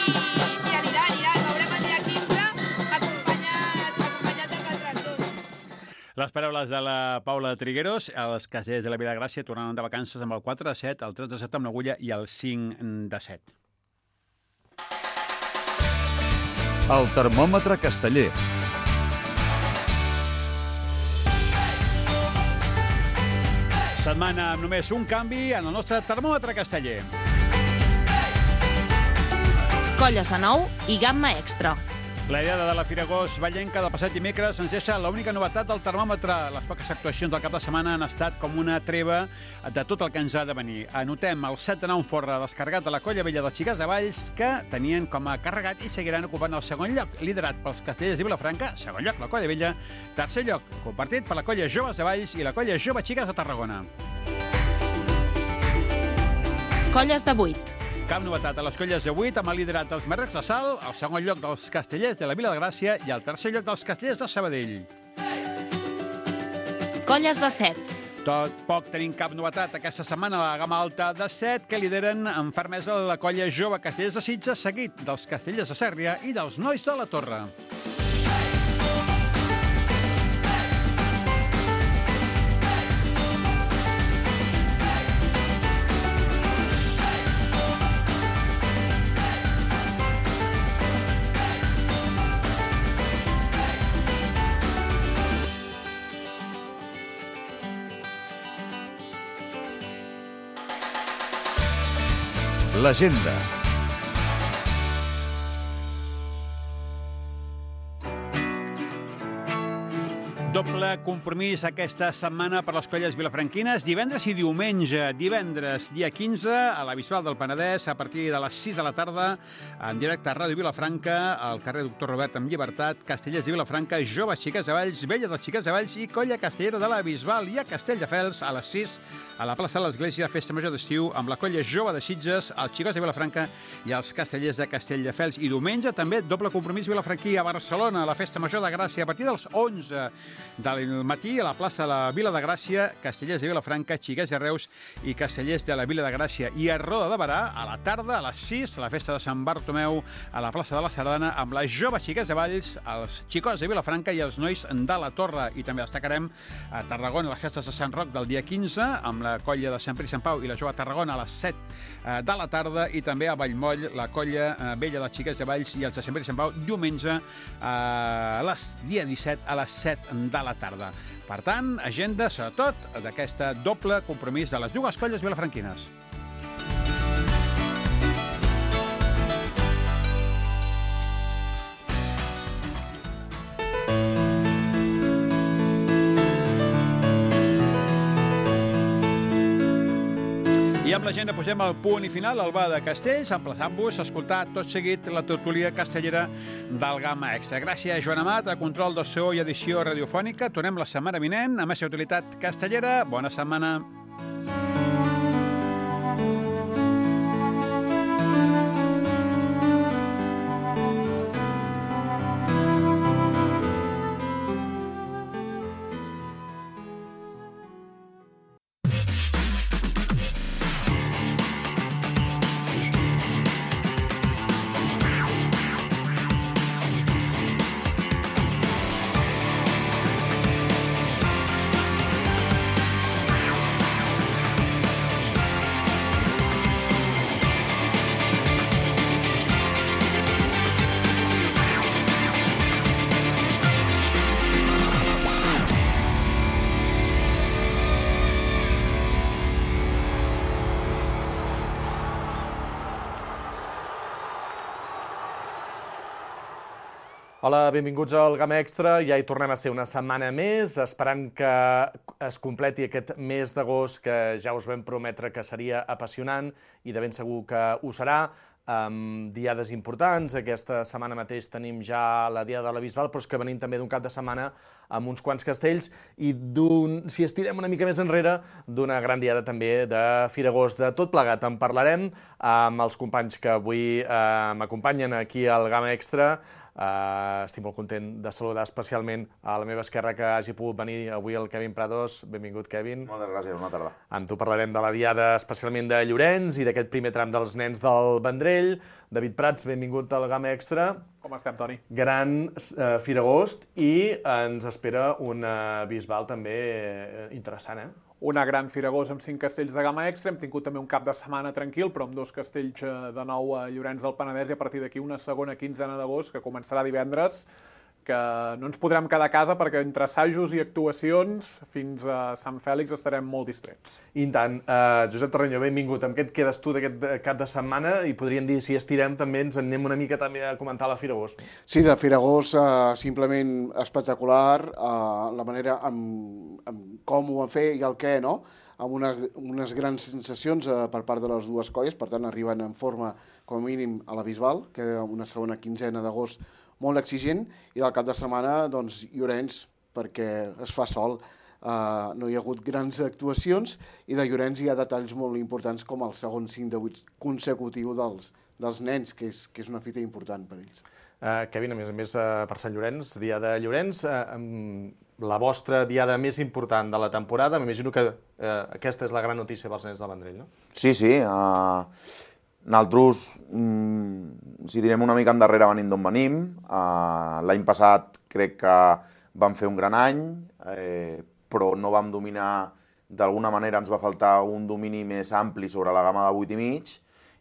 i anirà, anirà, el veurem el dia quinze, acompanyat, acompanyat dels altres dos. Les paraules de la Paula Trigueros, els castellers de la Vilagràcia tornaran de vacances amb el quatre de set, el tres de set amb l'Agulla i el cinc de set. El termòmetre casteller. Setmana amb només un canvi en el nostre termòmetre casteller. Colles de nou i gamma extra. La idea de la Firagós Vallenca del passat dimecres ens deixa l'única novetat del termòmetre. Les poques actuacions del cap de setmana han estat com una treva de tot el que ens ha de venir. Anotem el set de nou forra descarregat de la Colla Vella dels Xiquets de Valls, que tenien com a carregat i seguiran ocupant el segon lloc, liderat pels castellers de Vilafranca, segon lloc la Colla Vella, tercer lloc compartit per la Colla Joves de Valls i la Colla Jove Xiques de Tarragona. Colles de vuit. Cap novetat a les colles de vuit, amb el liderat dels Merrets de Sal, el segon lloc dels castellers de la Vila de Gràcia i el tercer lloc dels castellers de Sabadell. Colles de set. Tot poc tenim cap novetat aquesta setmana a la gamma alta de set, que lideren amb fermesa la colla jove castellers de Sitges, seguit dels castellers de Sèrria i dels nois de la Torre. L'agenda. Doble compromís aquesta setmana per les colles vilafranquines, divendres i diumenge. Divendres, dia quinze, a la Bisbal del Penedès, a partir de les sis de la tarda, en directe a Ràdio Vilafranca, al carrer Doctor Robert amb Llibertat, Castellers de Vilafranca, Joves Xiquets de Valls, Vella dels Xiquets de Valls i Colla Castellera de la Bisbal. I a Castelldefels, a les sis, a la plaça de l'Església, Festa Major d'Estiu, amb la colla jove de Sitges, els Xicots de Vilafranca i els castellers de Castelldefels. I diumenge també doble compromís vilafranquí a Barcelona, a la Festa Major de Gràcia, a partir dels onze del matí, a la plaça de la Vila de Gràcia, castellers de Vilafranca, Xiquets de Reus i castellers de la Vila de Gràcia. I a Roda de Barà, a la tarda, a les sis, la festa de Sant Bartomeu, a la plaça de la Sardana, amb les joves Xiquets de Valls, els Xicots de Vilafranca i els nois de la Torre. I també destacarem a Tarragona les festes de Sant Roc del dia quinze, amb la colla de Sant Pere i Sant Pau i la jove Tarragona a les set de la tarda, i també a Vallmoll la colla vella dels Xiquets de Valls i els de Sant Pere i Sant Pau diumenge a les dia disset a les set de la tarda. Per tant, agenda, sobretot, d'aquesta doble compromís de les dues colles vilafranquines. I amb la gent posem el punt i final al Ba de Castells, emplaçant-vos a escoltar tot seguit la tertúlia castellera del Gamma Extra. Gràcies, Joan Amat, a control de so i edició radiofònica. Tornem la setmana vinent amb més utilitat castellera. Bona setmana. Hola, benvinguts al Gamma Extra. Ja hi tornem a ser una setmana més, esperant que es completi aquest mes d'agost que ja us vam prometre que seria apassionant i de ben segur que ho serà, amb diades importants. Aquesta setmana mateix tenim ja la Diada de la Bisbal, però és que venim també d'un cap de setmana amb uns quants castells i, si estirem una mica més enrere, d'una gran diada també de Firagost. De tot plegat en parlarem amb els companys que avui m'acompanyen aquí al Gamma Extra. Uh, estic molt content de saludar especialment a la meva esquerra que hagi pogut venir avui el Kevin Prados. Benvingut, Kevin. Moltes gràcies, bona tarda. Amb tu parlarem de la Diada especialment de Llorenç i d'aquest primer tram dels nens del Vendrell. David Prats, benvingut al Gamma Extra. Com estem, Toni? Gran uh, Firagost i ens espera una Bisbal també uh, interessant, eh? Una gran Firagost amb cinc castells de Gamma Extra. Hem tingut també un cap de setmana tranquil, però amb dos castells de nou a Llorenç del Penedès i a partir d'aquí una segona quinzena d'agost que començarà divendres, que no ens podrem quedar a casa perquè entre assajos i actuacions fins a Sant Fèlix estarem molt distrets. I tant. Uh, Josep Torrenyó, benvingut. Amb què et quedes tu d'aquest cap de setmana? I podríem dir, si estirem també, ens anem una mica també a comentar la Firagost. Sí, de Firagost, uh, simplement espectacular, uh, la manera amb, amb com ho van fer i el què, no? Amb una, unes grans sensacions uh, per part de les dues colles, per tant arriben en forma com a mínim a la Bisbal, que és una segona quinzena d'agost molt exigent, i del cap de setmana, doncs, Llorenç, perquè es fa sol. Uh, no hi ha hagut grans actuacions, i de Llorenç hi ha detalls molt importants, com el segon cinc de vuit consecutiu dels, dels nens, que és, que és una fita important per ells. Uh, Kevin, a més a més, uh, per Sant Llorenç, dia de Llorenç, uh, um, la vostra diada més important de la temporada, m'imagino que uh, aquesta és la gran notícia pels nens del Vendrell, no? Sí, sí. Uh... Nosaltres, mm, si direm una mica endarrere venint d'on venim, uh, l'any passat crec que vam fer un gran any, eh, però no vam dominar, d'alguna manera ens va faltar un domini més ampli sobre la gamma de vuit i mig,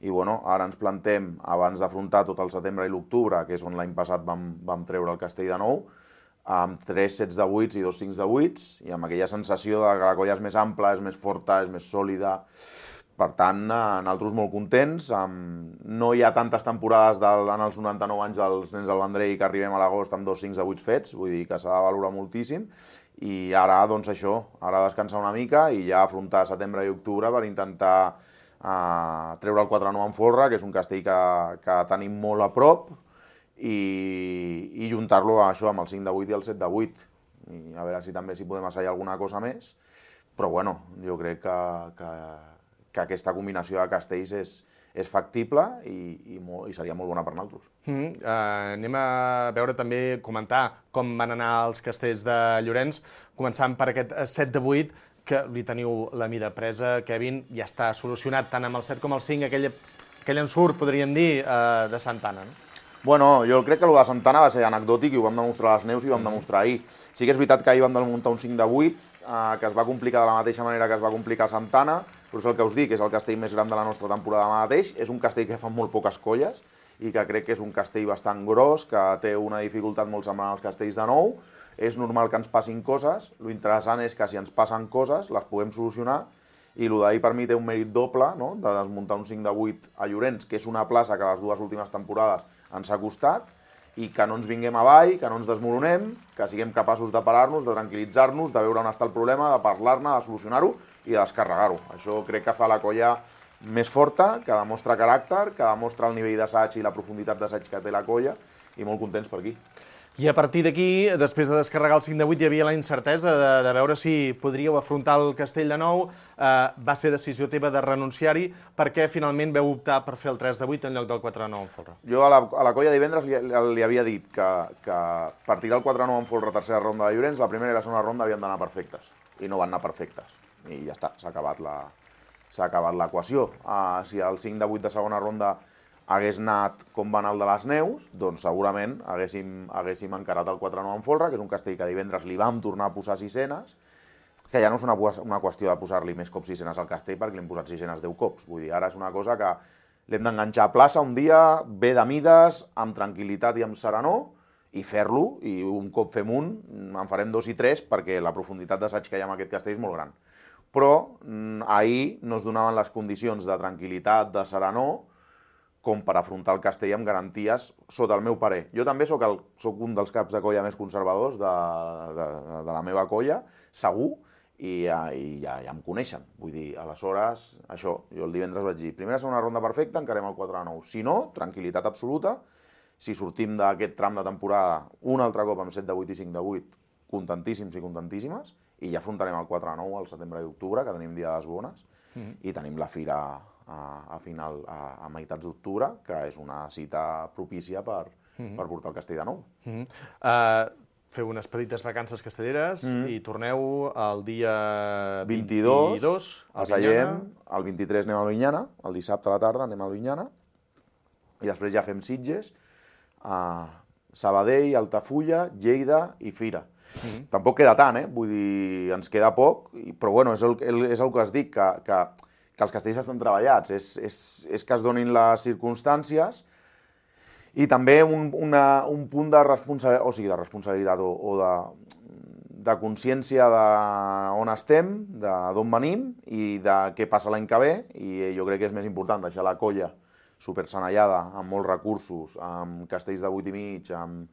i bueno, ara ens plantem, abans d'afrontar tot el setembre i l'octubre, que és on l'any passat vam, vam treure el castell de nou, amb tres sets de vuits i dos cincs de vuits, i amb aquella sensació de que la colla és més ampla, és més forta, és més sòlida. Per tant, nosaltres molt contents. No hi ha tantes temporades del, en els noranta-nou anys dels nens del Vendrell que arribem a l'agost amb dos cinc de vuit fets, vull dir que s'ha de valorar moltíssim. I ara, doncs això, ara descansar una mica i ja afrontar setembre i octubre per intentar uh, treure el quatre nou en folre, que és un castell que, que tenim molt a prop, i, i juntar-lo això amb el cinc de vuit i el set de vuit. I a veure si també si podem assajar alguna cosa més. Però bueno, jo crec que... que que aquesta combinació de castells és, és factible i, i, molt, i seria molt bona per nosaltres. Mm, uh, anem a veure també, comentar com van anar els castells de Llorenç, començant per aquest set de vuit, que li teniu la mida presa, Kevin, ja està solucionat tant amb el set com el cinc, aquell, aquell ensurt, podríem dir, uh, de Santana, no? Bueno, jo crec que el de Santana va ser anecdòtic i ho vam demostrar a les neus i ho vam demostrar ahir. Sí que és veritat que ahir vam muntar un cinc de vuit, eh, que es va complicar de la mateixa manera que es va complicar a Santana, però és el que us dic, és el castell més gran de la nostra temporada mateix, és un castell que fa molt poques colles i que crec que és un castell bastant gros, que té una dificultat molt semblant als castells de nou. És normal que ens passin coses, lo interessant és que si ens passen coses les podem solucionar, i el d'ahir per mi té un mèrit doble, no?, de desmuntar un cinc de vuit a Llorenç, que és una plaça que les dues últimes temporades ens ha costat, i que no ens vinguem avall, que no ens desmoronem, que siguem capaços de parar-nos, de tranquil·litzar-nos, de veure on està el problema, de parlar-ne, de solucionar-ho i de descarregar-ho. Això crec que fa la colla més forta, que demostra caràcter, que demostra el nivell d'assaig i la profunditat d'assaig que té la colla, i molt contents per aquí. I a partir d'aquí, després de descarregar el cinc de vuit, hi havia la incertesa de, de veure si podríeu afrontar el Castell de Nou. Eh, va ser decisió teva de renunciar-hi. Per què finalment veu optar per fer el tres de vuit en lloc del quatre de nou en folre? Jo a la, a la colla divendres li, li havia dit que, que per tirar el quatre de nou en folre a tercera ronda de Llorenç, la primera i la segona ronda havien d'anar perfectes. I no van anar perfectes. I ja està, s'ha acabat la, s'ha acabat l'equació. Uh, si el cinc de vuit de segona ronda hagués anat com va anar el de les Neus, doncs segurament haguéssim, haguéssim encarat el quatre nou en folre, que és un castell que divendres li vam tornar a posar sisenes, que ja no és una, una qüestió de posar-li més cops sisenes al castell, perquè li hem posat sisenes deu cops. Vull dir, ara és una cosa que l'hem d'enganxar a plaça un dia, bé de mides, amb tranquil·litat i amb serenor, i fer-lo, i un cop fem un, en farem dos i tres, perquè la profunditat d'assaig que hi ha en aquest castell és molt gran. Però ahir no es donaven les condicions de tranquil·litat, de serenor, com per afrontar el castell amb garanties, sota el meu parer. Jo també soc, el, soc un dels caps de colla més conservadors de, de, de la meva colla, segur, i, i ja, ja em coneixen. Vull dir, aleshores, això, jo el divendres vaig dir, primera segona ronda perfecta, encarem el quatre de nou. Si no, tranquil·litat absoluta. Si sortim d'aquest tram de temporada un altre cop amb set de vuit i cinc de vuit, contentíssims i contentíssimes, i ja afrontarem el quatre de nou al setembre i octubre, que tenim dia de les bones, mm-hmm. i tenim la fira a, a final, a, a meitats d'octubre, que és una cita propícia per, mm-hmm. per portar el castell de nou. Mm-hmm. uh, feu unes petites vacances castelleres mm-hmm. i torneu el dia vint-i-dos, vint-i-dos a Sallent, el vint-i-tres anem a Albinyana, el dissabte a la tarda anem a Albinyana, i després ja fem Sitges, a Sabadell, Altafulla, Lleida i Fira. Mm-hmm. Tampoc queda tant, eh? Vull dir, ens queda poc, però bueno, és el, és el que es dic, que, que, que els castells estan treballats, és, és, és que es donin les circumstàncies i també un, una, un punt de responsabilitat, o sigui, de responsabilitat o, o de, de consciència d'on estem, d'on venim i de què passa l'any que ve, i jo crec que és més important deixar la colla supersanellada, amb molts recursos, amb castells de vuit i mig, amb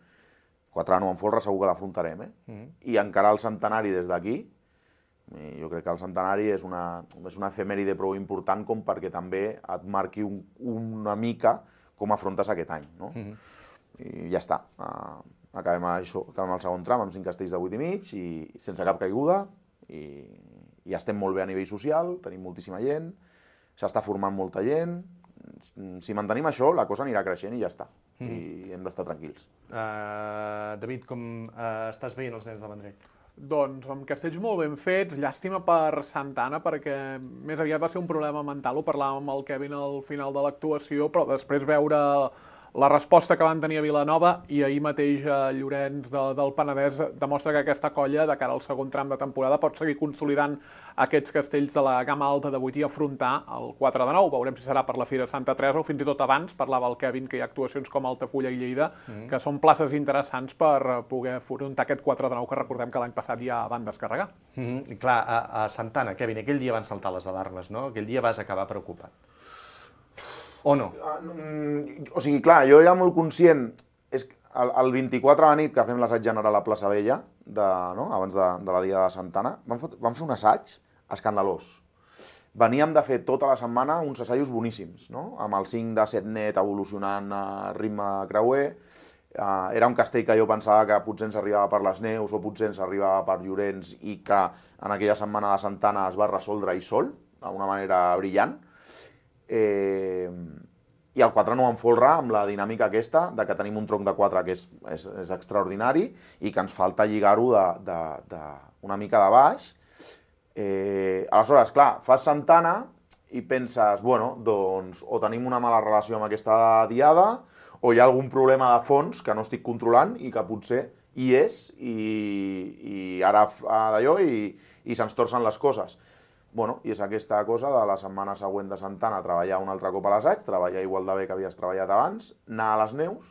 quatre de nou en folre, segur que l'afrontarem, eh? Mm-hmm. I encarar el centenari des d'aquí, jo crec que el centenari és una, és una efemèride prou important com perquè també et marqui un, una mica com afrontes aquest any, no? Mm-hmm. I ja està. Uh, acabem, això, acabem el segon tram amb cinc castells de vuit i mig i sense cap caiguda, i, i estem molt bé a nivell social, tenim moltíssima gent, s'està formant molta gent. Si mantenim això, la cosa anirà creixent i ja està. Mm. I hem d'estar tranquils. Uh, David, com uh, estàs veient els nens de Vendrell? Doncs amb castells molt ben fets, llàstima per Santana, perquè més aviat va ser un problema mental, ho parlàvem amb el Kevin al final de l'actuació, però després veure la resposta que van tenir a Vilanova i ahir mateix a Llorenç de, del Penedès demostra que aquesta colla, de cara al segon tram de temporada, pot seguir consolidant aquests castells de la gamma alta de vuit i afrontar el quatre de nou. Veurem si serà per la Fira Santa Teresa o fins i tot abans. Parlava el Kevin que hi ha actuacions com Altafulla i Lleida, mm. que són places interessants per poder afrontar aquest quatre de nou que recordem que l'any passat ja van descarregar. Mm-hmm. I clar, a, a Santana, Kevin, aquell dia van saltar les alarmes, no? Aquell dia vas acabar preocupat. O no? O sigui, clar, jo era molt conscient, és que el, el vint-i-quatre a la nit que fem l'assaig general a Plaça Vella, de, no? abans de, de la dia de Santana, vam, fot, vam fer un assaig escandalós. Veníem de fer tota la setmana uns assajos boníssims, no? Amb el cinc de set net evolucionant a ritme creuer. Uh, era un castell que jo pensava que potser ens arribava per les Neus o potser ens arribava per Llorenç i que en aquella setmana de Santana es va resoldre i sol, d'una manera brillant. Eh, i el quatre nou en folre amb la dinàmica aquesta de que tenim un tronc de quatre que és, és, és extraordinari i que ens falta lligar-ho de, de, de una mica de baix. Eh, aleshores, clar, fas Santana i penses, bueno, doncs o tenim una mala relació amb aquesta diada o hi ha algun problema de fons que no estic controlant i que potser hi és i, i ara d'allò i, i se'ns torcen les coses. Bueno, i és aquesta cosa de la setmana següent de Santana treballar un altre cop a l'assaig, treballar igual de bé que havies treballat abans, anar a les Neus,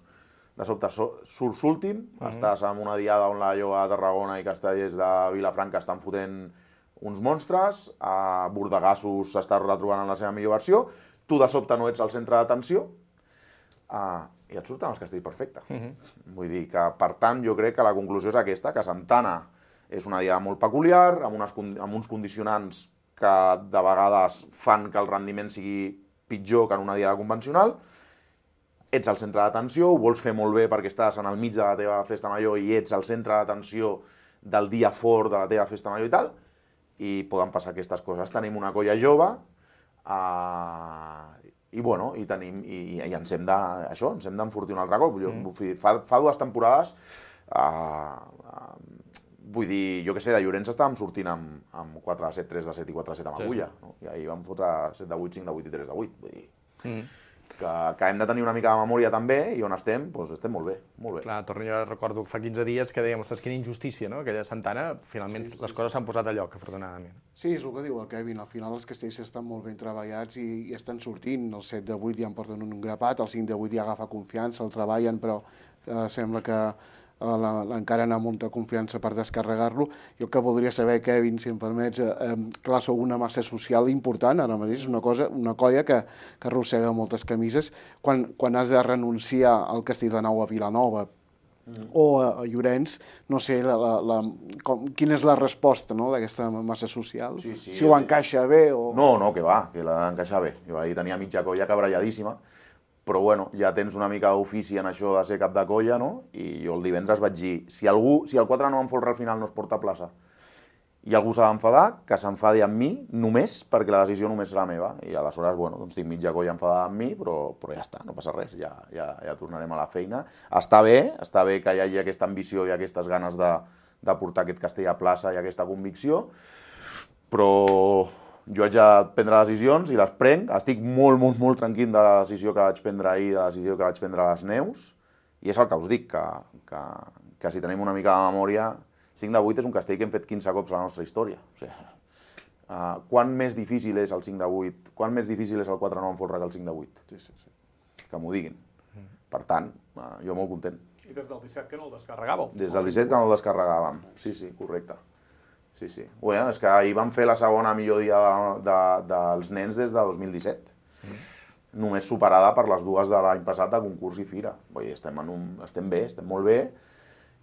de sobte surts últim, mm-hmm. estàs en una diada on la Lloa de Tarragona i Castellers de Vilafranca estan fotent uns monstres, a Bordegassos s'està retrobant en la seva millor versió, tu de sobte no ets el centre d'atenció, uh, i et surten els castells perfecte. Uh-huh. Vull dir que, per tant, jo crec que la conclusió és aquesta, que Santana és una diada molt peculiar, amb, unes, amb uns condicionants que de vegades fan que el rendiment sigui pitjor que en una diada convencional. Ets al centre d'atenció, ho vols fer molt bé perquè estàs en el mig de la teva festa major i ets al centre d'atenció del dia fort de la teva festa major i tal, i poden passar aquestes coses. Tenim una colla jove, uh, i bueno, i, tenim, i, i ens hem de, això, ens hem d'enfortir un altre cop. Jo, mm. fa, fa dues temporades, uh, uh, vull dir, jo què sé, de Llorenç estàvem sortint amb, amb quatre a set, tres de set i quatre a set amb Agulla, no? I ahir vam fotre set de vuit, cinc de vuit i tres de vuit. Vull dir, mm. que, que hem de tenir una mica de memòria també, i on estem, doncs estem molt bé, molt bé. Clar, torno, jo recordo fa quinze dies que dèiem, ostres, quina injustícia, no? Aquella Santana, finalment sí, sí, les coses s'han posat a lloc, afortunadament. Sí, és el que diu el Kevin, al final els castells estan molt ben treballats i, i estan sortint, el set de vuit ja en porten un grapat, el cinc de vuit ja agafa confiança, el treballen, però eh, sembla que encara anar amb molta confiança per descarregar-lo. Jo que voldria saber, Kevin, si em permets, eh, clar, sou una massa social important, ara mateix és una cosa, una colla que, que arrossega moltes camises. Quan, quan has de renunciar al Castelldefels a Vilanova mm. o a, a Llorenç, no sé, la, la, la, com, quina és la resposta, no, d'aquesta massa social? Sí, sí, si ho encaixa bé o... No, no, que va, que l'ha d'encaixar bé. Jo ahir tenia mitja colla cabralladíssima, però bueno, ja tens una mica d'ofici en això de ser cap de colla, no? I jo el divendres vaig dir, si algú, si el quatre nou en folre al final no es porta a plaça i algú s'ha d'enfadar, que s'enfadi amb mi només perquè la decisió només serà meva. I aleshores, bueno, doncs tinc mitja colla enfadada amb mi, però, però ja està, no passa res, ja, ja, ja tornarem a la feina. Està bé, està bé que hi hagi aquesta ambició i aquestes ganes de, de portar aquest castell a plaça i aquesta convicció, però jo haig de prendre decisions i les prenc. Estic molt, molt, molt tranquil de la decisió que vaig prendre ahir, de la decisió que vaig prendre a les Neus, i és el que us dic, que, que, que si tenim una mica de memòria, cinc de vuit és un castell que hem fet quinze cops a la nostra història. O sigui, uh, quan més difícil és el cinc de vuit, quan més difícil és el quatre nou en folre que el cinc de vuit? Sí, sí, sí. Que m'ho diguin. Per tant, uh, jo molt content. I des del disset que no el descarregàveu? Des del disset que no el descarregàvem, sí, sí, correcte. Sí, sí. Bueno, és que ahir vam fer la segona millor dia de, de, dels nens des de dos mil disset. Mm. Només superada per les dues de l'any passat de concurs i fira. Vull dir, estem, en un, estem bé, estem molt bé.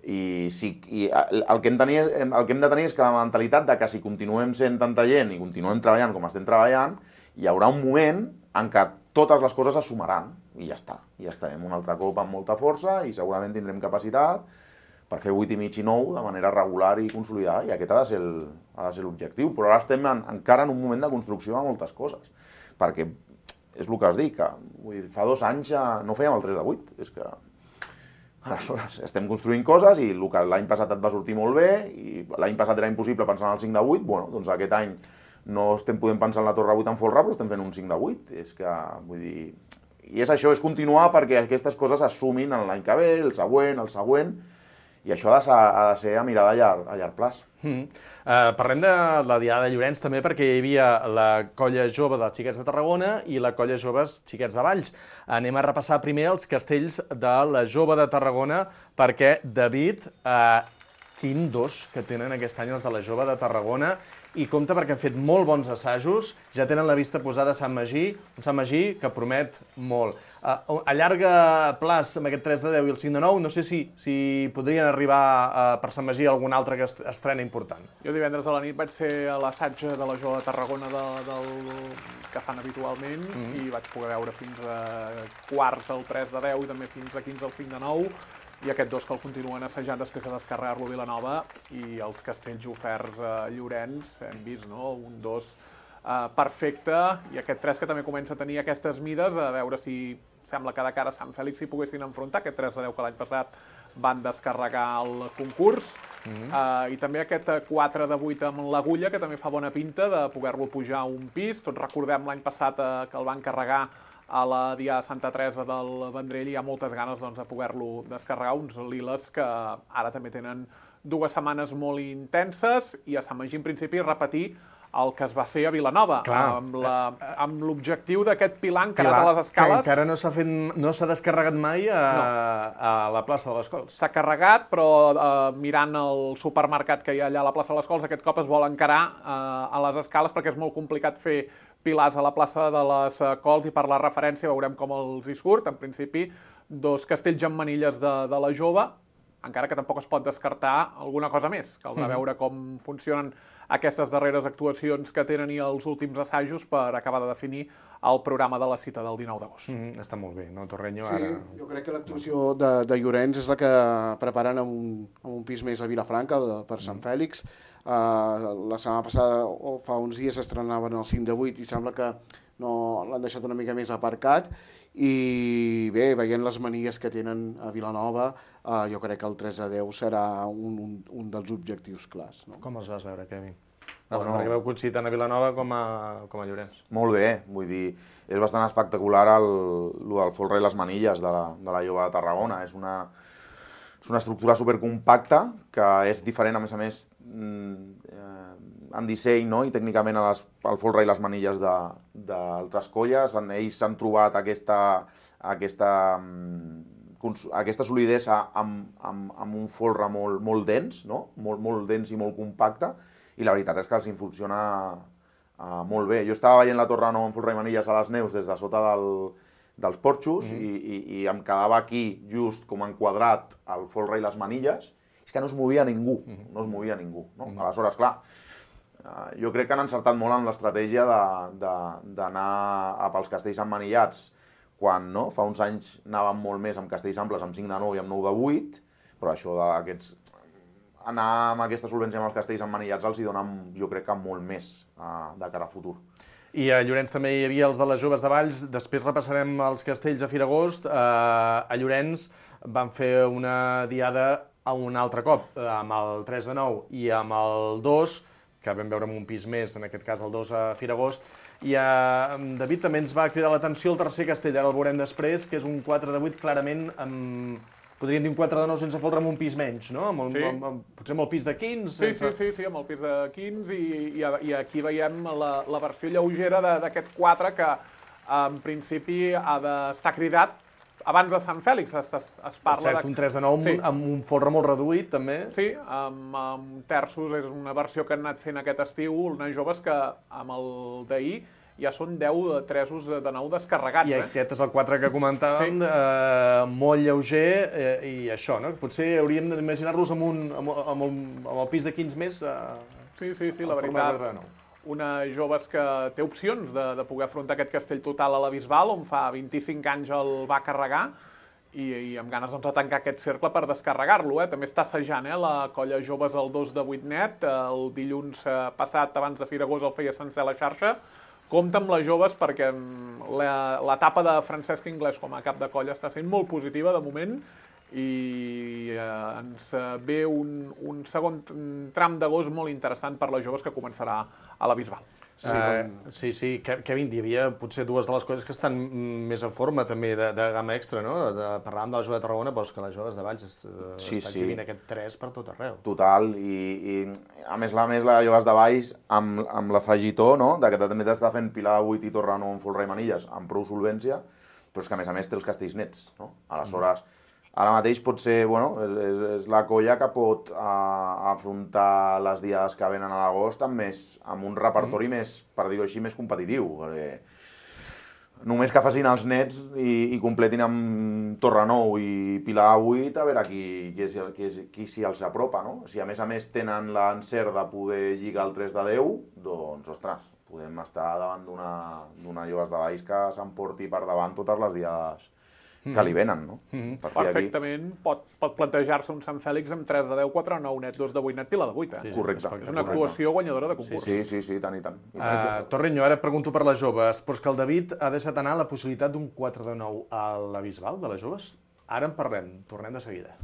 I, sí, i el, que hem tenir, el que hem de tenir és que la mentalitat de que si continuem sent tanta gent i continuem treballant com estem treballant, hi haurà un moment en què totes les coses es sumaran. I ja està. I estarem un altre cop amb molta força i segurament tindrem capacitat per fer vuit i mig i nou de manera regular i consolidada, i aquest ha de ser el, ha de ser l'objectiu. Però ara estem en, encara en un moment de construcció de moltes coses, perquè és el que us dic, que vull dir, fa dos anys ja no fèiem el tres de vuit, és que aleshores estem construint coses i el que l'any passat et va sortir molt bé, i l'any passat era impossible pensar en el cinc de vuit, bueno, doncs aquest any no estem podent pensar en la torre vuit en folre, però estem fent un cinc de vuit, és que, vull dir, i és això, és continuar perquè aquestes coses es sumin en l'any que ve, el següent, el següent, i això ha de ser, ha de ser a mirada a llarg, a llarg plaç. Mm. Uh, parlem de la Diada de Llorenç també perquè hi havia la colla jove dels Xiquets de Tarragona i la colla joves Xiquets de Valls. Anem a repassar primer els castells de la jove de Tarragona perquè, David, uh, quin dos que tenen aquest any els de la jove de Tarragona, i compte perquè han fet molt bons assajos, ja tenen la vista posada a Sant Magí, un Sant Magí que promet molt. Uh, a llarga plaç, amb aquest tres de deu i el cinc de nou, no sé si, si podrien arribar uh, per Sant Magí algun altre que estrena important. Jo divendres a la nit vaig ser a l'assaig de la jove de Tarragona de, del, que fan habitualment, mm. i vaig poder veure fins a quarts al tres de deu i també fins a quinze al cinc de nou, i aquests dos que el continuen assajant després de descarregar-lo a Vilanova, i els castells oferts a Llorenç, hem vist, no? Un dos uh, perfecte, i aquest tres que també comença a tenir aquestes mides, a veure si sembla que de cara a Sant Fèlix s'hi poguessin enfrontar, aquest tres de deu que l'any passat van descarregar el concurs, mm-hmm. uh, i també aquest quatre de vuit amb l'Agulla, que també fa bona pinta de poder-lo pujar a un pis. Tots recordem l'any passat uh, que el van carregar a la Diada de Santa Teresa del Vendrell, i hi ha moltes ganes doncs, de poder-lo descarregar, uns liles que ara també tenen dues setmanes molt intenses, i a Sant Magí en principi repetir el que es va fer a Vilanova, Clar. amb l'objectiu d'aquest pilar encarat a les escales. Que encara no s'ha fet, no s'ha descarregat mai a, no. a la plaça de les Cols. S'ha carregat, però eh, mirant el supermercat que hi ha allà a la plaça de les Cols, aquest cop es vol encarar eh, a les escales perquè és molt complicat fer pilars a la plaça de les Cols i per la referència veurem com els hi surt. En principi, dos castells amb manilles de, de la Jove, encara que tampoc es pot descartar alguna cosa més. Caldrà mm. veure com funcionen aquestes darreres actuacions que tenen i els últims assajos per acabar de definir el programa de la cita del dinou d'agost. Mm, està molt bé, no, Torreño? Sí, ara... jo crec que l'actuació de, de Llorenç és la que preparen en un, en un pis més a Vilafranca, de, per Sant Fèlix. Uh, la setmana passada, o fa uns dies, estrenaven el cinc de vuit i sembla que no l'han deixat una mica més aparcat. I bé, veient les manies que tenen a Vilanova, uh, jo crec que el tres a deu serà un, un, un dels objectius clars. No? Com els vas veure, Kevin? Bueno, perquè veu coincidit tant a Vilanova com a, com a Llorenç. Molt bé, vull dir, és bastant espectacular el, el del folre i les manilles de la, de la Jove de Tarragona. És una, és una estructura supercompacta que és diferent, a més a més, eh, en disseny, no? I tècnicament a les, el folre i les manilles d'altres colles. En ells s'han trobat aquesta, aquesta, aquesta solidesa amb, amb, amb un folre molt, molt dens, no? molt, molt dens i molt compacte, i la veritat és que els hi funciona uh, molt bé. Jo estava veient la Torre Nou amb folre i manilles a les neus des de sota del, dels porxos mm-hmm. i, i, i em quedava aquí just com enquadrat el folre i les manilles. És que no es movia ningú, mm-hmm. no es movia ningú. No? Mm-hmm. Aleshores, clar, uh, jo crec que han encertat molt en l'estratègia d'anar pels castells emmanillats quan no? Fa uns anys anàvem molt més amb castells amples, amb cinc de nou i amb nou de vuit, però això d'aquests... anar amb aquesta solvència amb els castells emmanillats els hi dona, jo crec que molt més uh, de cara a futur. I a Llorenç també hi havia els de les Joves de Valls, després repassarem els castells a Firagost. Uh, a Llorenç van fer una diada a un altre cop, amb el tres de nou i amb el dos, que vam veure amb un pis més, en aquest cas el dos a Firagost. I uh, David també ens va cridar l'atenció el tercer castell, ara el veurem després, que és un quatre de vuit clarament amb... Podríem dir un quatre de nou sense folre amb un pis menys, no? Amb, sí. amb, amb, potser amb el pis de quinze? Sí, sense... sí, sí, sí, amb el pis de quinze i, i, i aquí veiem la, la versió lleugera d'aquest quatre que en principi ha d'estar cridat abans de Sant Fèlix. Es, es, es parla per cert, de... un tres de nou sí. amb un folre molt reduït, també. Sí, amb, amb terços, és una versió que han anat fent aquest estiu, unes joves que amb el d'ahir ja són deu tresos de nou descarregats. I eh? aquest és el quatre que comentàvem, sí. eh, molt lleuger, eh, i això, no? Potser hauríem d'imaginar-los amb, un, amb, amb, el, amb el pis de quinze més. Eh, sí, sí, sí, la veritat. Una jove que té opcions de, de poder afrontar aquest castell total a la Bisbal, on fa vint-i-cinc anys el va carregar, i, i amb ganes doncs, de tancar aquest cercle per descarregar-lo. Eh? També està assajant eh? la colla joves el dos de vuit net, el dilluns passat, abans de Firagost, el feia sencer a la xarxa. Compte amb les joves perquè l'etapa de Francesc Inglés com a cap de colla està sent molt positiva de moment i eh, ens ve un, un segon tram d'agost molt interessant per les joves que començarà a la Bisbal. Sí, uh, sí, sí. Kevin, hi havia potser dues de les coses que estan més en forma també de, de gamma extra, no? De, parlàvem de la Jove de Tarragona, però és que les joves de Valls es, sí, estan sí. exhibint aquest tres per tot arreu. Total, i, i a més la més la joves de Valls amb, amb l'afegitó, no? De que també t'està fent Pilar de vuit i Torre Nou amb folre i manilles, amb prou solvència, però és que a més a més té els castells nets, no? Aleshores, ara mateix pot ser, bueno, és, és, és la colla que pot uh, afrontar les diades que venen a l'agost amb, més, amb un repertori mm. més, per dir-ho així, més competitiu. Perquè només que facin els nets i, i completin amb Torre Nou i Pilar vuit, a veure qui, qui, qui, qui s'hi els apropa, no? Si a més a més tenen l'encert de poder lligar el tres de deu, doncs, ostres, podem estar davant d'una Joves de Valls que s'emporti per davant totes les diades que li venen, no? Mm-hmm. Perfectament pot, pot plantejar-se un Sant Fèlix amb tres de deu, quatre de nou net, dos de vuit net, Pilar de vuit, eh? Sí, correcte. És una actuació guanyadora de concurs. Sí, sí, sí, tant i tant. I tant. Uh, Torreño, ara et pregunto per les joves, però és que el David ha deixat anar la possibilitat d'un quatre de nou a la Bisbal de les joves. Ara en parlem, tornem de seguida.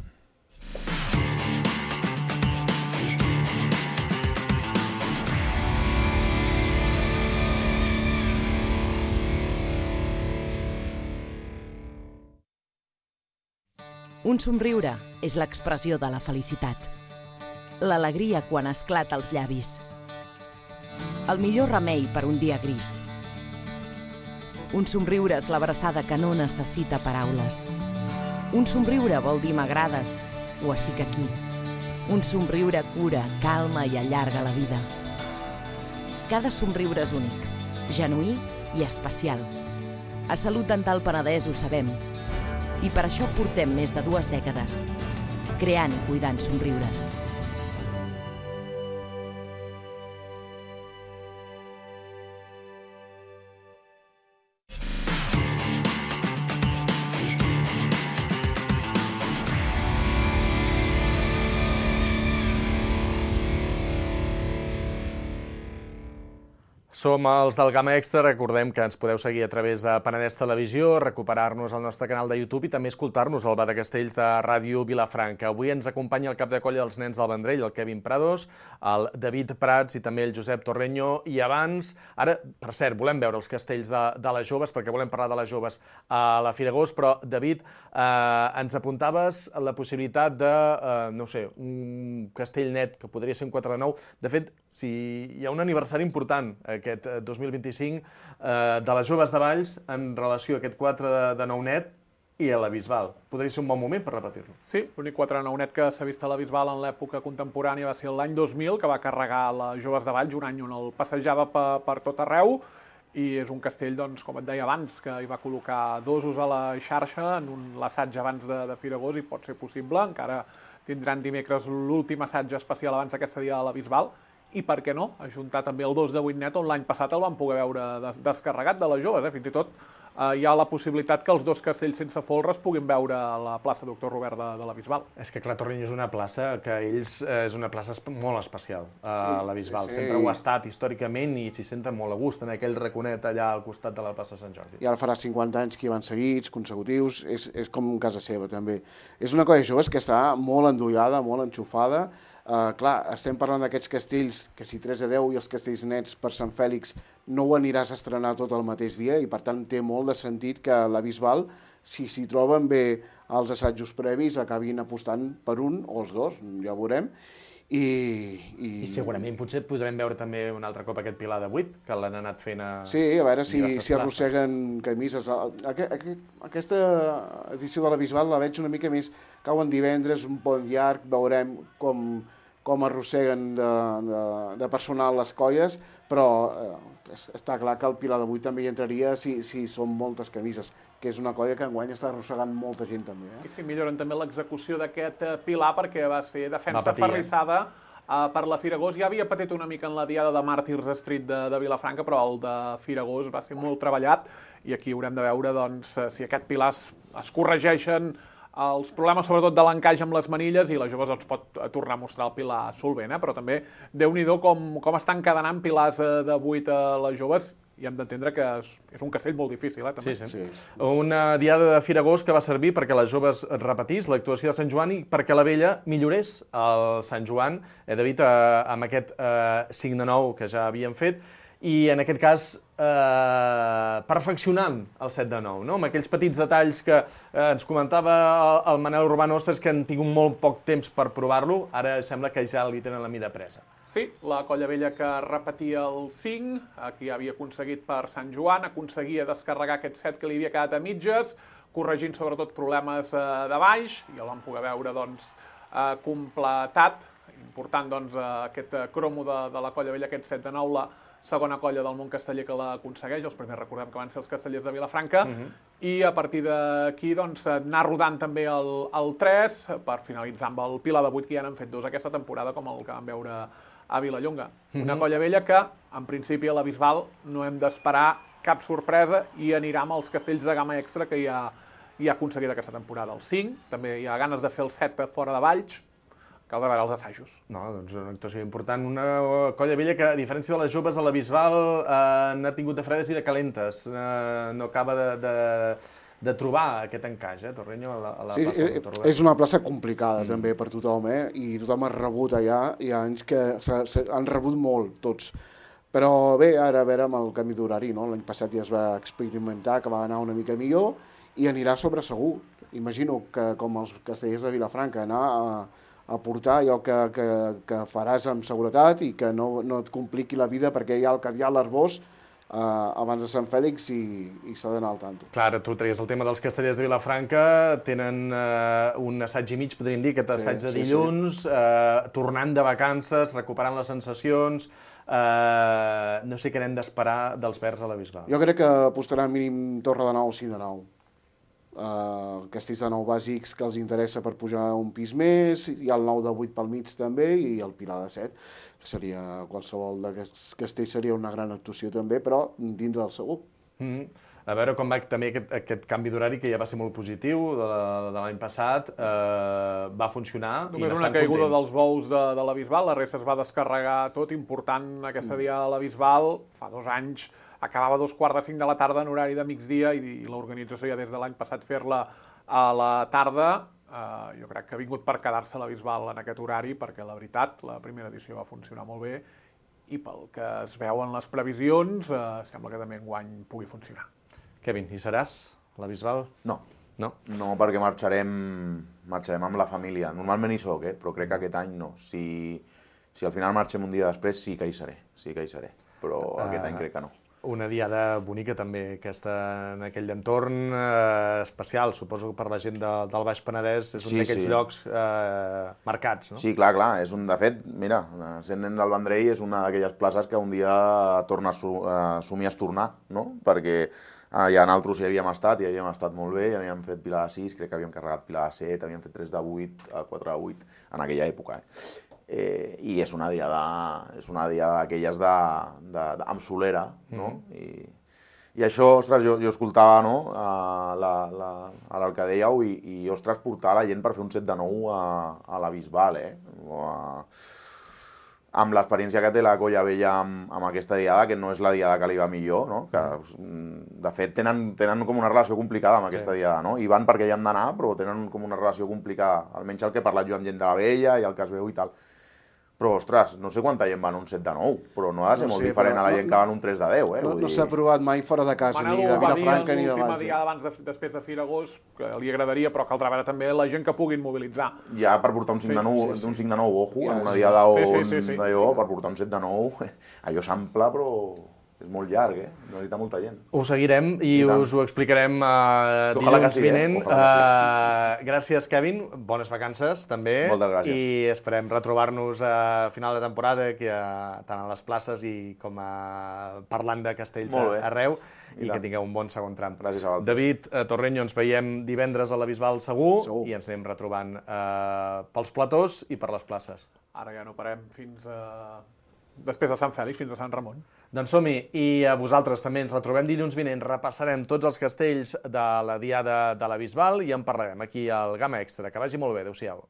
Un somriure és l'expressió de la felicitat. L'alegria quan esclata als llavis. el millor remei per un dia gris. Un somriure és l'abraçada que no necessita paraules. Un somriure vol dir m'agrades o estic aquí. Un somriure cura, calma i allarga la vida. Cada somriure és únic, genuí i especial. A Salut Dental Penedès ho sabem. I per això portem més de dues dècades creant i cuidant somriures. Som els del Gamma Extra, recordem que ens podeu seguir a través de Penedès Televisió, recuperar-nos al nostre canal de YouTube i també escoltar-nos al Bar de Castells de Ràdio Vilafranca. Avui ens acompanya el cap de colla dels nens del Vendrell, el Kevin Prados, el David Prats i també el Josep Torreño. I abans, ara, per cert, volem veure els castells de, de les joves, perquè volem parlar de les joves a la Fira Gos, però, David, eh, ens apuntaves la possibilitat de, eh, no sé, un castell net, que podria ser un quatre de nou. De fet, si hi ha un aniversari important, aquest dos mil vint-i-cinc, eh, de les joves de Valls en relació a aquest quatre de nou net i a la Bisbal. Podria ser un bon moment per repetir-lo. Sí, l'únic quatre de nou net que s'ha vist a la Bisbal en l'època contemporània va ser l'any dos mil, que va carregar les joves de Valls, un any on el passejava per, per tot arreu, i és un castell, doncs, com et deia abans, que hi va col·locar dosos a la xarxa en un l'assaig abans de, de Fira Gos, i pot ser possible. Encara tindran dimecres l'últim assaig especial abans d'aquest dia a la Bisbal, i per què no, ajuntar també el dos de vuit net, on l'any passat el vam poder veure des descarregat de les joves. Eh? Fins i tot eh, hi ha la possibilitat que els dos castells sense folre es puguin veure a la plaça Doctor Robert de, de la Bisbal. És que, clar, Torreño és una plaça que ells eh, és una plaça molt especial, a sí, la Bisbal. Sí, sí. Sempre ho ha estat històricament i s'hi senten molt a gust en aquell raconet allà al costat de la plaça Sant Jordi. I ara farà cinquanta anys que hi van seguits, consecutius, és, és com casa seva també. És una colla de joves que està molt endollada, molt enxufada. Uh, clar, estem parlant d'aquests castells que si tres a deu i els castells nets per Sant Fèlix no ho aniràs a estrenar tot el mateix dia i per tant té molt de sentit que la Bisbal, si s'hi troben bé els assajos previs, acabin apostant per un o els dos, ja ho veurem. I, i... I segurament potser podrem veure també un altre cop aquest Pilar de vuit, que l'han anat fent a... Sí, a veure si, si arrosseguen camises. Aquesta edició de la Bisbal la veig una mica més, cauen divendres, un pont llarg, veurem com, com arrosseguen de, de, de personal les colles, però eh, està clar que el Pilar de vuit també hi entraria si, si són moltes camises, que és una colla que enguany està arrossegant molta gent també. Eh? I sí, milloren també l'execució d'aquest Pilar perquè va ser defensa ferrissada eh, per la Fira Gos. Ja havia patit una mica en la diada de Màrtirs Street de, de Vilafranca, però el de Fira Gos va ser molt treballat i aquí haurem de veure doncs, si aquest Pilar es, es corregeixen els problemes sobretot de l'encaix amb les manilles i les joves els pot tornar a mostrar el Pilar solvent, eh? Però també déu-n'hi-do com, com estan encadenant pilars de vuit a les joves i hem d'entendre que és, és un castell molt difícil, eh? També. Sí, sí. sí. Una diada de Fira Gos que va servir perquè les joves repetís l'actuació de Sant Joan i perquè la vella millorés el Sant Joan, eh, David, eh, amb aquest eh, cinc de nou que ja havien fet, i en aquest cas eh, perfeccionant el set de nou, no? Amb aquells petits detalls que eh, ens comentava el, el Manel Urbano, ostres, que han tingut molt poc temps per provar-lo, ara sembla que ja li tenen la mida presa. Sí, la colla vella que repetia el cinc, aquí havia aconseguit per Sant Joan, aconseguia descarregar aquest set que li havia quedat a mitges, corregint sobretot problemes eh, de baix, i el vam poder veure doncs, eh, completat, important doncs, eh, aquest cromo de, de la colla vella, aquest set de nou, la segona colla del món casteller que l'aconsegueix, els primers recordem que van ser els castellers de Vilafranca, uh-huh. i a partir d'aquí doncs, anar rodant també el, el tres per finalitzar amb el Pilar de vuit, que ja n'han fet dos aquesta temporada, com el que vam veure a Vilallonga. Uh-huh. Una colla vella que, en principi, a la Bisbal no hem d'esperar cap sorpresa i anirà amb els castells de gamma extra que ja, ja ha aconseguit aquesta temporada. El cinc, també hi ha ganes de fer el set fora de Valls, cal de veure els assajos. No, doncs una actuació important. Una colla vella que, a diferència de les joves, a la Bisbal eh, n'ha tingut de fredes i de calentes. Eh, no acaba de, de, de trobar aquest encaix, eh, Torreño, a la, a la sí, plaça Doctor Robert. És una plaça complicada, mm. també, per tothom, eh? I tothom ha rebut allà. Hi ha anys que han rebut molt, tots. Però bé, ara a veure amb el canvi d'horari, no? L'any passat ja es va experimentar, que va anar una mica millor, i anirà sobre segur. Imagino que, com els castellers de Vilafranca, anar a aportar allò que, que, que faràs amb seguretat i que no, no et compliqui la vida, perquè hi ha el que hi ha a l'Arbós eh, abans de Sant Fèlix i, i s'ha d'anar al tanto. Clar, tu treies el tema dels castellers de Vilafranca, tenen eh, un assaig i mig, podríem dir, aquest assaig Sí, de sí, dilluns, sí. Eh, tornant de vacances, recuperant les sensacions, eh, no sé què n'hem d'esperar dels verds a la Bisbal. Jo crec que apostarà mínim Torre de Nou, cinc de nou. Uh, castells de nou bàsics que els interessa per pujar un pis més, hi ha el nou de vuit pel mig també i el Pilar de set. Seria, qualsevol d'aquests castells seria una gran actuació també, però dindre'l segur. Mm. A veure com va també aquest, aquest canvi d'horari, que ja va ser molt positiu de, de l'any passat, eh, va funcionar. Només una caiguda dels bous de, de la Bisbal, la resta es va descarregar tot, important aquesta dia de la Bisbal, fa dos anys, acabava a dos quarts de cinc de la tarda en horari de migdia i, i l'organització ja des de l'any passat fer-la a la tarda. Eh, jo crec que ha vingut per quedar-se la Bisbal en aquest horari perquè la veritat, la primera edició va funcionar molt bé i pel que es veuen les previsions, eh, sembla que també enguany pugui funcionar. Kevin, hi seràs a la Bisbal? No. No? No, perquè marxarem, marxarem amb la família. Normalment hi soc, eh? Però crec que aquest any no. Si, si al final marxem un dia després, sí que hi seré. Sí que hi seré. Però uh... aquest any crec que no. Una diada bonica també, aquesta en aquell entorn eh, especial, suposo que per la gent de, del Baix Penedès és un Sí, d'aquests sí. llocs eh, marcats, no? Sí, clar, clar. És un, de fet, mira, sent nen del Vendrell és una d'aquelles places que un dia torna a, su, a somiar tornar, no? Perquè eh, ja nosaltres hi havíem estat, i havíem estat molt bé, i havíem fet Pilar de sis, crec que havíem carregat Pilar de set, havíem fet tres de vuit, quatre de vuit, en aquella època, eh? Eh, i és una diada, és una diada d'aquelles de, de, de, amb solera, no? Mm. I, I això, ostres, jo, jo escoltava, no?, a, la, la, ara el que dèieu, i, i, ostres, portar la gent per fer un set de nou a, a la Bisbal, eh? O a, amb l'experiència que té la Colla Vella amb, amb aquesta diada, que no és la diada que li va millor, no? Que, de fet, tenen, tenen com una relació complicada amb aquesta sí. diada, no? I van perquè hi han d'anar, però tenen com una relació complicada, almenys el que he parlat jo amb gent de la Vella i el que es veu i tal. Però, ostres, no sé quanta gent va en un set de nou, però no ha de ser no molt sé, diferent a la gent no, que va en un tres de deu, eh? No, no s'ha provat mai fora de casa, Manel, ni de Vilafranca ni de Valls. L'última diada abans de, després de Firagós, que li agradaria, però caldrà veure també la gent que puguin mobilitzar. Ja per portar un cinc de nou, sí, sí, sí. un cinc de nou, ojo, ja, en una diada on, sí, sí, sí, sí. d'allò, per portar un set de nou, allò s'ample, però és molt llarg, eh? Necessita molta gent. Ho seguirem i, I us ho explicarem uh, dilluns sí, vinent. Eh? Uh, gràcies, Kevin. Bones vacances, també. Moltes gràcies. I esperem retrobar-nos a final de temporada, que, uh, tant a les places i com a parlant de castells arreu, i, i que tingueu un bon segon tram. Gràcies a vosaltres. David uh, Torreño, ens veiem divendres a la Bisbal segur, segur. I ens anem retrobant uh, pels platós i per les places. Ara ja no parem fins a... després de Sant Fèlix, fins a Sant Ramon. Doncs som-hi, i a vosaltres també ens retrobem dilluns vinent, repassarem tots els castells de la diada de la Bisbal i en parlarem aquí al Gamma Extra. Que vagi molt bé, adéu-siau.